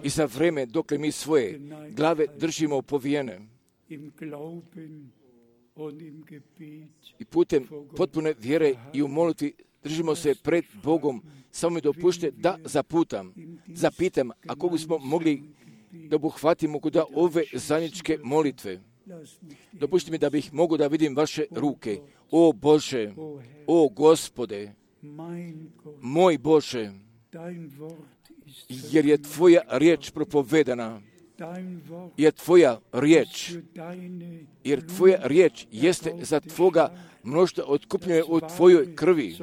i za vreme dok mi svoje glave držimo povijene i putem potpune vjere i u molitvi držimo se pred Bogom, samo mi dopušte da zaputam, zapitam, ako bismo mogli da obuhvatimo kod ove zajedničke molitve. Dopušte mi da bih mogu da vidim vaše ruke. O Bože, o Gospode, moj Bože, jer je Tvoja riječ propovedana, jer Tvoja riječ, jer Tvoja riječ jeste za Tvoga mnoštva otkupljene u Tvojoj krvi.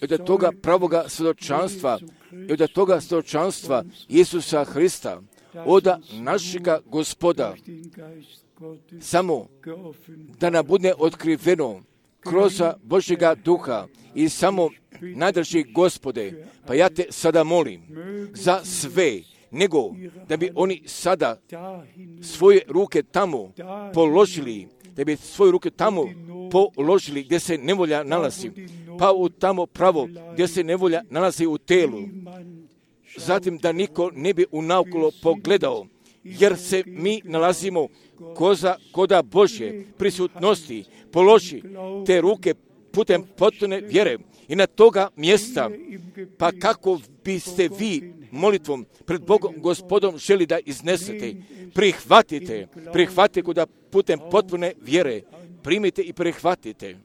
I od toga pravoga svjedočanstva, i od toga svjedočanstva Isusa Hrista, od našega Gospoda, samo da nam bude otkriveno kroz Božjega duha i samo najdraži Gospode, pa ja te sada molim za sve, nego da bi oni sada svoje ruke tamo položili, da bi svoje ruke tamo položili gdje se nevolja nalazi, pa u tamo pravo gdje se nevolja nalazi u telu. Zatim da niko ne bi unaokolo pogledao, jer se mi nalazimo koza koda Božje prisutnosti, položi te ruke putem potpune vjere i na toga mjesta, pa kako biste vi molitvom pred Bogom Gospodom želi da iznesete, prihvatite, prihvatite koda putem potpune vjere, primite i prihvatite.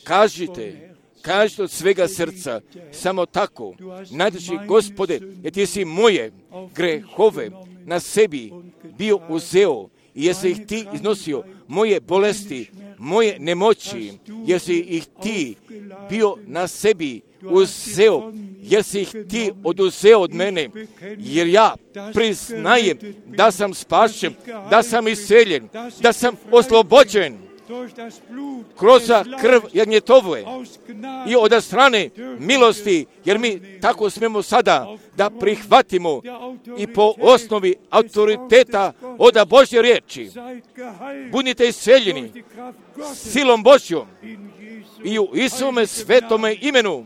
Kažite, kažite od svega srca, samo tako, najdraži Gospode, jer ti si moje grehove na sebi bio uzeo i jesi ih ti iznosio, moje bolesti, moje nemoći, jer si ih ti bio na sebi uzeo, jer si ih ti oduzeo od mene, jer ja priznajem da sam spašen, da sam iseljen, da sam oslobođen kroz krv Jagnjetove i od strane milosti, jer mi tako smemo sada da prihvatimo i po osnovi autoriteta od Božje riječi. Budite iseljeni silom Božjom i u Isume svetome imenu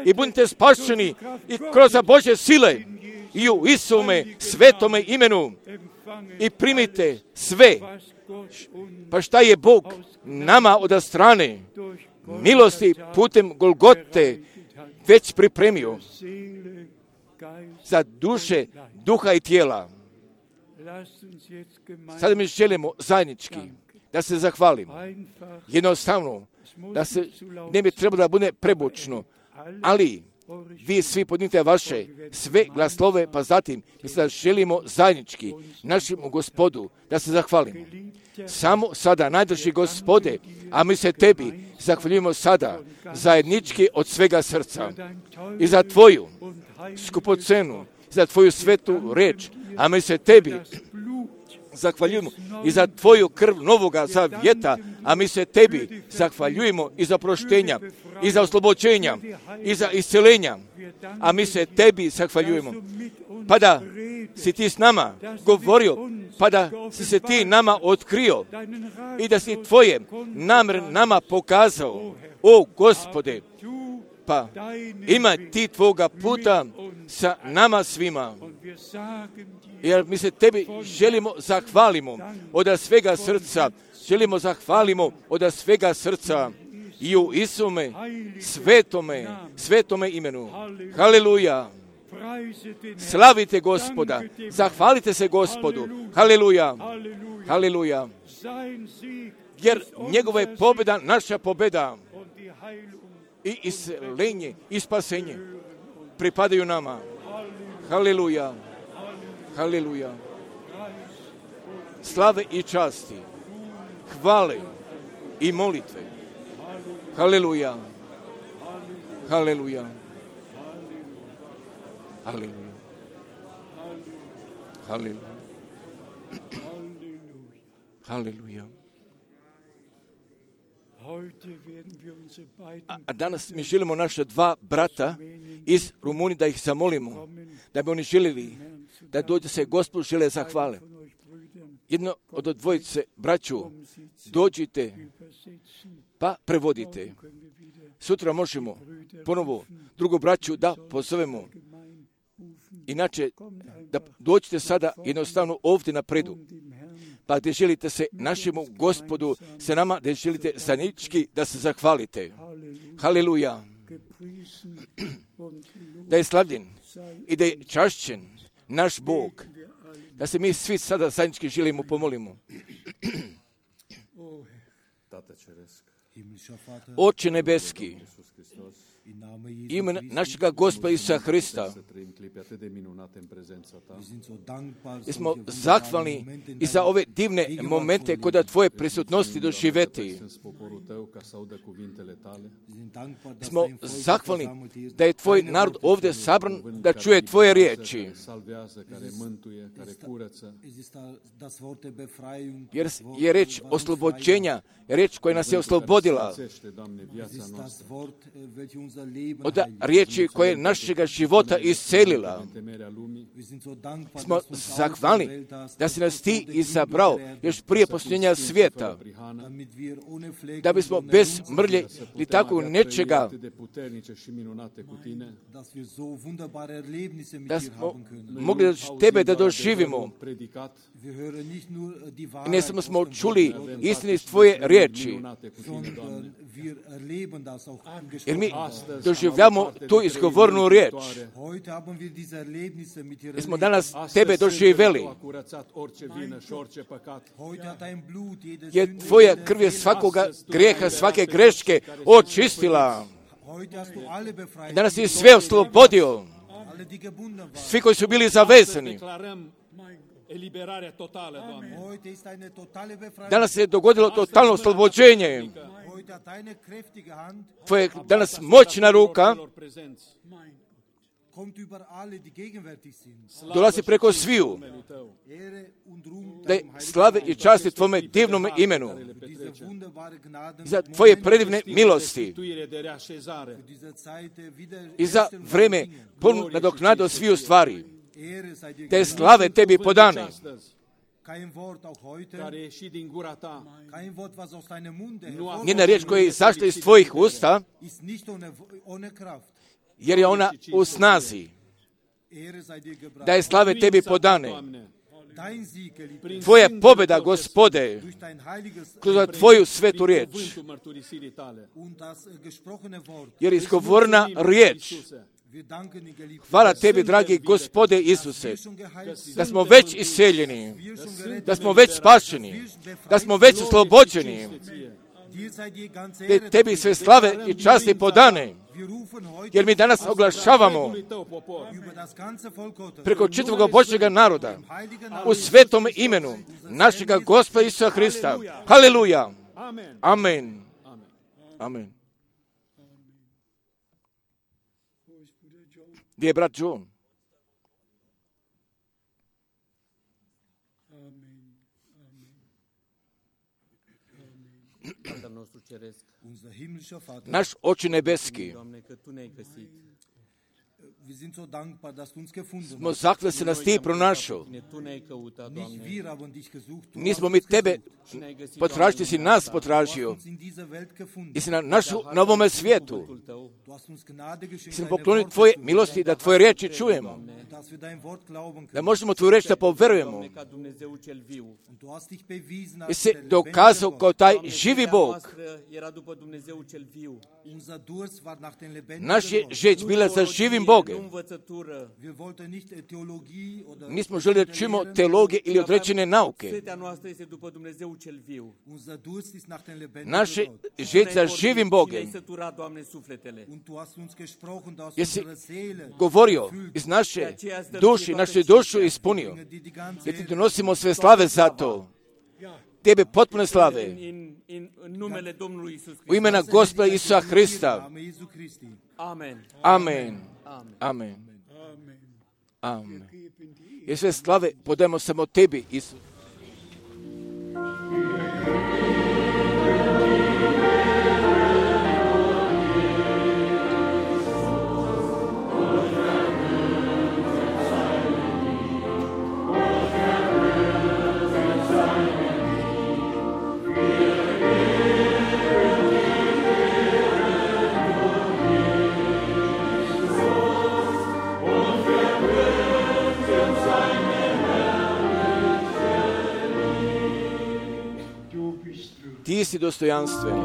i budite spašeni i kroz Božje sile i u Isume svetome imenu i primite sve. Pa šta je Bog nama od strane milosti putem Golgote već pripremio za duše, duha i tijela. Sada mi želimo zajednički da se zahvalimo. Jednostavno, da se ne bi trebalo da bude prebučno, ali vi svi podnite vaše sve glaslove, pa zatim mi sada želimo zajednički našem Gospodu da se zahvalimo. Samo sada, najdraži Gospode, a mi se tebi zahvaljujemo sada zajednički od svega srca i za tvoju skupocenu, za tvoju svetu reč, a mi se tebi zahvaljujemo i za tvoju krv novoga zavjeta, a mi se tebi zahvaljujemo i za proštenja, i za oslobođenja, i za iscelenja, a mi se tebi zahvaljujemo. Pa da si ti s nama govorio, pa da si se ti nama otkrio i da si tvoje namjer nama pokazao, o Gospode, pa ima ti tvoga puta sa nama svima. Jer mi se tebi želimo zahvalimo od svega srca, želimo zahvalimo od svega srca i u Isume svetome, svetome imenu. Haleluja! Slavite Gospoda, zahvalite se Gospodu. Haleluja! Haleluja! Jer njegova je pobjeda naša pobjeda i iscelenje i spasenje pripadaju nama. Haleluja! Haleluja! Slave i časti, hvale i molitve. Haleluja! Haleluja! Haleluja! Haleluja! Haleluja! A danas mi želimo naše dva brata iz Rumunije da ih zamolimo, da bi oni željeli da dođe se Gospodu žele zahvale. Jedno od dvojice braću, dođite pa prevodite. Sutra možemo ponovo drugu braću da pozovemo Inače, da dođete sada jednostavno ovdje napredu, pa gdje želite se našemu Gospodu, sa nama, gdje želite zajednički da se zahvalite. Haleluja. Da je slavljen i da je čašćen naš Bog. Da se mi svi sada zajednički želimo pomolimo. Oče nebeski, ime našega Gospoda Isusa Hrista, mi smo zahvalni i za ove divne momente kod Tvoje prisutnosti doživjeti. Smo zahvalni da je Tvoj narod ovdje sabran da čuje Tvoje riječi. Jer je reč oslobođenja, reč koja nas je oslobodila od riječi koje našega života iscelila. Smo zahvalni da si nas Ti izabrao još prije posljednja svijeta, da bismo bez mrlje ili tako nečega, da smo mogli Tebe da doživimo. I ne samo smo čuli istini iz Tvoje riječi, jer mi doživljamo tu izgovornu riječ. Mi smo danas Tebe doživjeli. Jer Tvoja krv je svakoga grijeha, svake greške očistila. Danas je sve oslobodio. Svi koji su bili zavezani. Danas se je dogodilo totalno oslobođenje. Tvoja danas moćna ruka dolazi preko sviju. Da je slave i časti Tvome divnom imenu. Za Tvoje predivne milosti. I za vreme punu nadoknadu sviju stvari. Te slave Tebi podane. Nijedna riječ koja je izašla iz Tvojih usta, jer je ona u snazi. Da je slave Tebi podane. Tvoja pobjeda, Gospode, kroz Tvoju svetu riječ, jer izgovorna riječ. Hvala Tebi, dragi Gospode Isuse, da smo već iseljeni, da smo već spašeni, da smo već oslobođeni, da Tebi sve slave i časti podane, jer mi danas oglašavamo preko čitavog Božjega naroda u svetom imenu našega Gospoda Isusa Hrista. Haleluja! Amen! Amen! Gdje je brat John? Naš Oče nebeski, smo zahvalni se nas Ti pronašao. Nismo mi Tebe potražiti, si nas potražio. I si na našu novome svijetu. Si nam poklonio Tvoje milosti da Tvoje riječi čujemo. Da možemo Tvoju riječ da poverujemo. I se dokazao kao taj živi Bog. Naš je žeć bila za živim Bogem. Nismo želi da čujemo teologije ili određene nauke. Naše žeć za živim Bogem. Jesi govorio iz naše duši, našu dušu ispunio. Jer Ti donosimo sve slave za to. Tebe potpune slave. U imena Gospoda Isusa Hrista. Amen. Amen. Amen. Amen. I sve slave podajemo samo Tebi, Isus. Thank you. Ti si dostojanstven.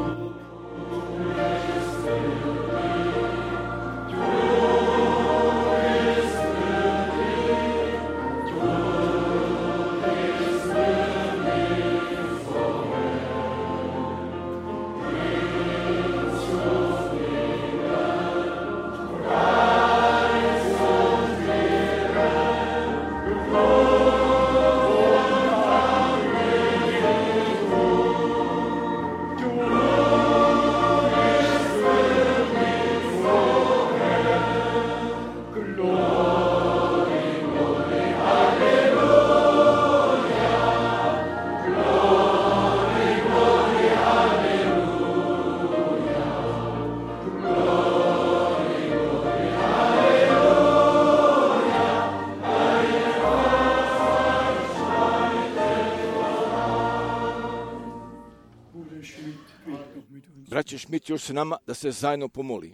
Braće Šmit još s nama da se zajedno pomoli.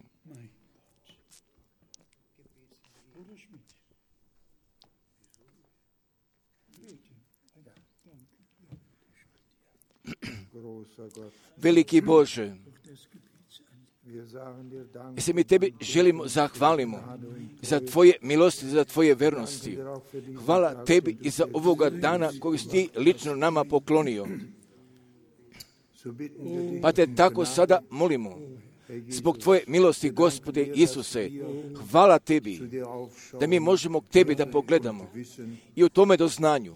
Veliki Bože, i se mi Tebi želimo zahvalimo za Tvoje milosti, za Tvoje vernosti. Hvala Tebi i za ovoga dana koji si Ti lično nama poklonio. Pa Te tako sada molimo, zbog Tvoje milosti, Gospode Isuse, hvala Tebi da mi možemo k Tebi da pogledamo i u tome doznanju.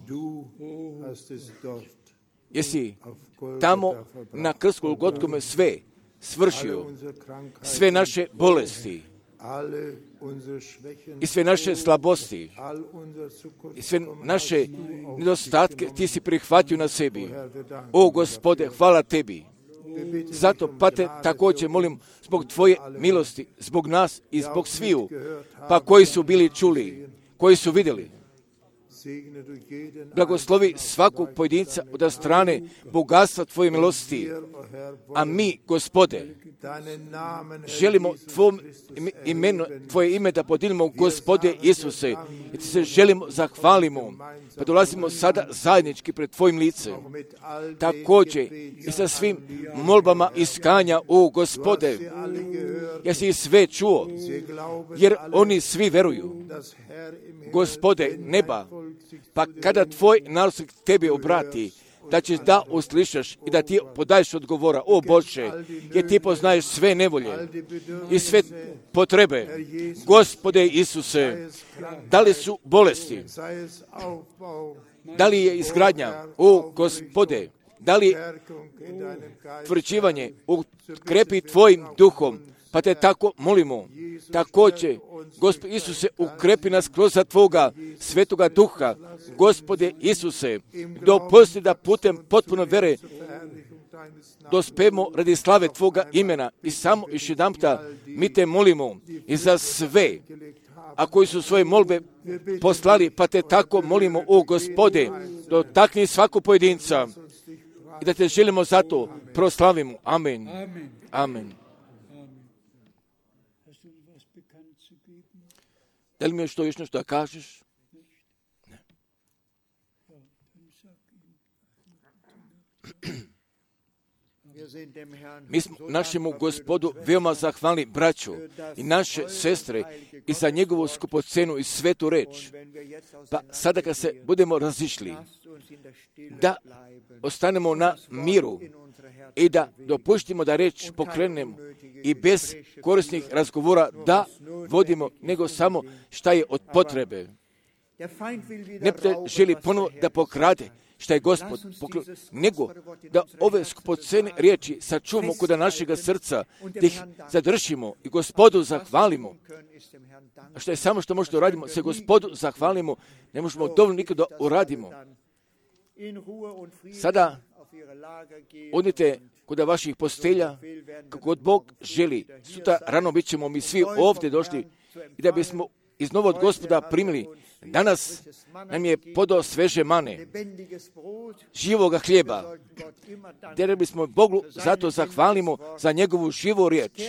Jesi tamo na krstu Golgotkome sve svršio, sve naše bolesti i sve naše slabosti i sve naše nedostatke Ti si prihvatio na sebi. O Gospode, hvala Tebi. Zato, pa Te također molim zbog Tvoje milosti, zbog nas i zbog sviju, pa koji su bili čuli, koji su vidjeli. Blagoslovi svakog pojedinca od strane bogatstva Tvoje milosti. A mi, Gospode, želimo Tvom imenu, Tvoje ime da podijelimo, Gospode Isuse, i Ti se želimo, zahvalimo, pa dolazimo sada zajednički pred Tvojim licem. Također i sa svim molbama iskanja, o Gospode, jesi sve čuo, jer oni svi veruju. Gospode neba, pa kada Tvoj narod se Tebi obrati, da ćeš da uslišaš i da Ti podaješ odgovora. O Bože, jer Ti poznaješ sve nevolje i sve potrebe. Gospode Isuse, da li su bolesti, da li je izgradnja, o Gospode, da li tvrđivanje, ukrepi Tvojim duhom, pa Te tako molimo. Također, Gospod Isuse, ukrepi nas kroz Tvoga svetoga duha. Gospode Isuse, dopusti da putem potpuno vere dospemo radi slave Tvoga imena. I samo još jedanputa mi Te molimo i za sve, a koji su svoje molbe poslali, pa Te tako molimo, o Gospode, dotakni svaku pojedinca i da Te želimo zato proslavimo. Amen. Amen. Da li mi još to još nešto da kažeš? Ne. Mi smo našemu Gospodu veoma zahvalni, braćo i naše sestre, i za njegovu skupocenu i svetu reč. Pa sada kad se budemo razišli, da ostanemo na miru i da dopuštimo da reč pokrenemo i bez korisnih razgovora da vodimo, nego samo šta je od potrebe. Neprijatelj želi ponovo da pokrade šta je Gospod poklon, nego da ove skupocene riječi sačuvamo kod našega srca, da ih zadržimo i Gospodu zahvalimo. A što je samo što možemo uradimo, se Gospodu zahvalimo, ne možemo dovoljno nikada uradimo. Sada odite kod vaših postelja, kako god Bog želi. Sutra rano bit ćemo mi svi ovdje došli i da bismo iz novog Gospoda primili. Danas nam je podao sveže mane, živoga hljeba, da bismo Bogu zato zahvalimo za njegovu živu riječ,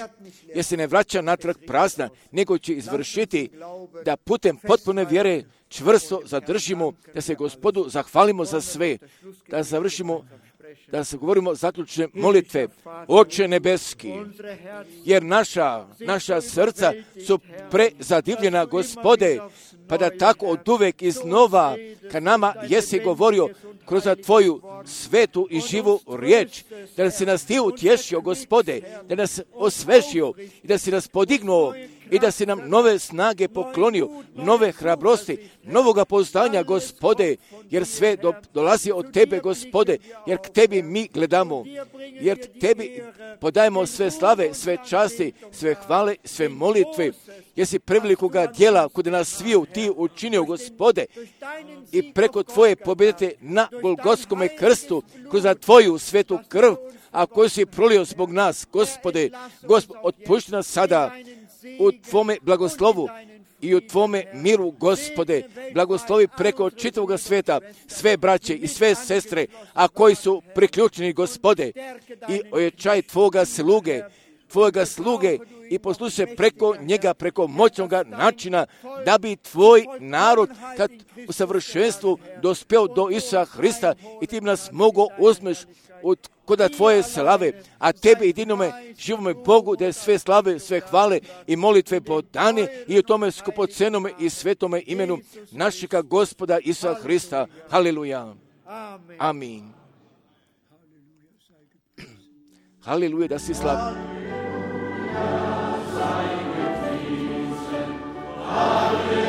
jer se ne vraća natrag prazna, nego će izvršiti da putem potpune vjere čvrsto zadržimo, da se Gospodu zahvalimo za sve, da završimo da se govorimo zaključne molitve. Oče nebeski, jer naša, naša srca su prezadivljena, Gospode, pa da tako od uvek iznova ka nama jesi govorio kroz Tvoju svetu i živu riječ, da si nas Ti utješio, Gospode, da nas osvežio i da si nas podignuo i da si nam nove snage poklonio, nove hrabrosti, novoga pouzdanja, Gospode, jer sve do, dolazi od Tebe, Gospode, jer k Tebi mi gledamo, jer Tebi podajemo sve slave, sve časti, sve hvale, sve molitve, jer si prevelikoga djela kod nas sviju Ti učinio, Gospode, i preko Tvoje pobjedite na Golgotskome krstu, kroz Tvoju svetu krv, a koju si prolio zbog nas, Gospode, Gospod, otpušti nas sada u Tvome blagoslovu i u Tvome miru, Gospode, blagoslovi preko čitavoga sveta sve braće i sve sestre, a koji su priključeni, Gospode, i ojačaj Tvoga sluge, Tvojega sluge i poslušaj preko njega, preko moćnog načina, da bi Tvoj narod kad u savršenstvu dospeo do Isusa Hrista i Ti nas mogo uzmeš od koda Tvoje slave, a Tebe jedinome živome Bogu, da je sve slave, sve hvale i molitve podane i u tome skupocenome i svetome imenu našega Gospoda Isusa Hrista. Haleluja. Amin. Haleluja, da si slavljen. Hallelujah.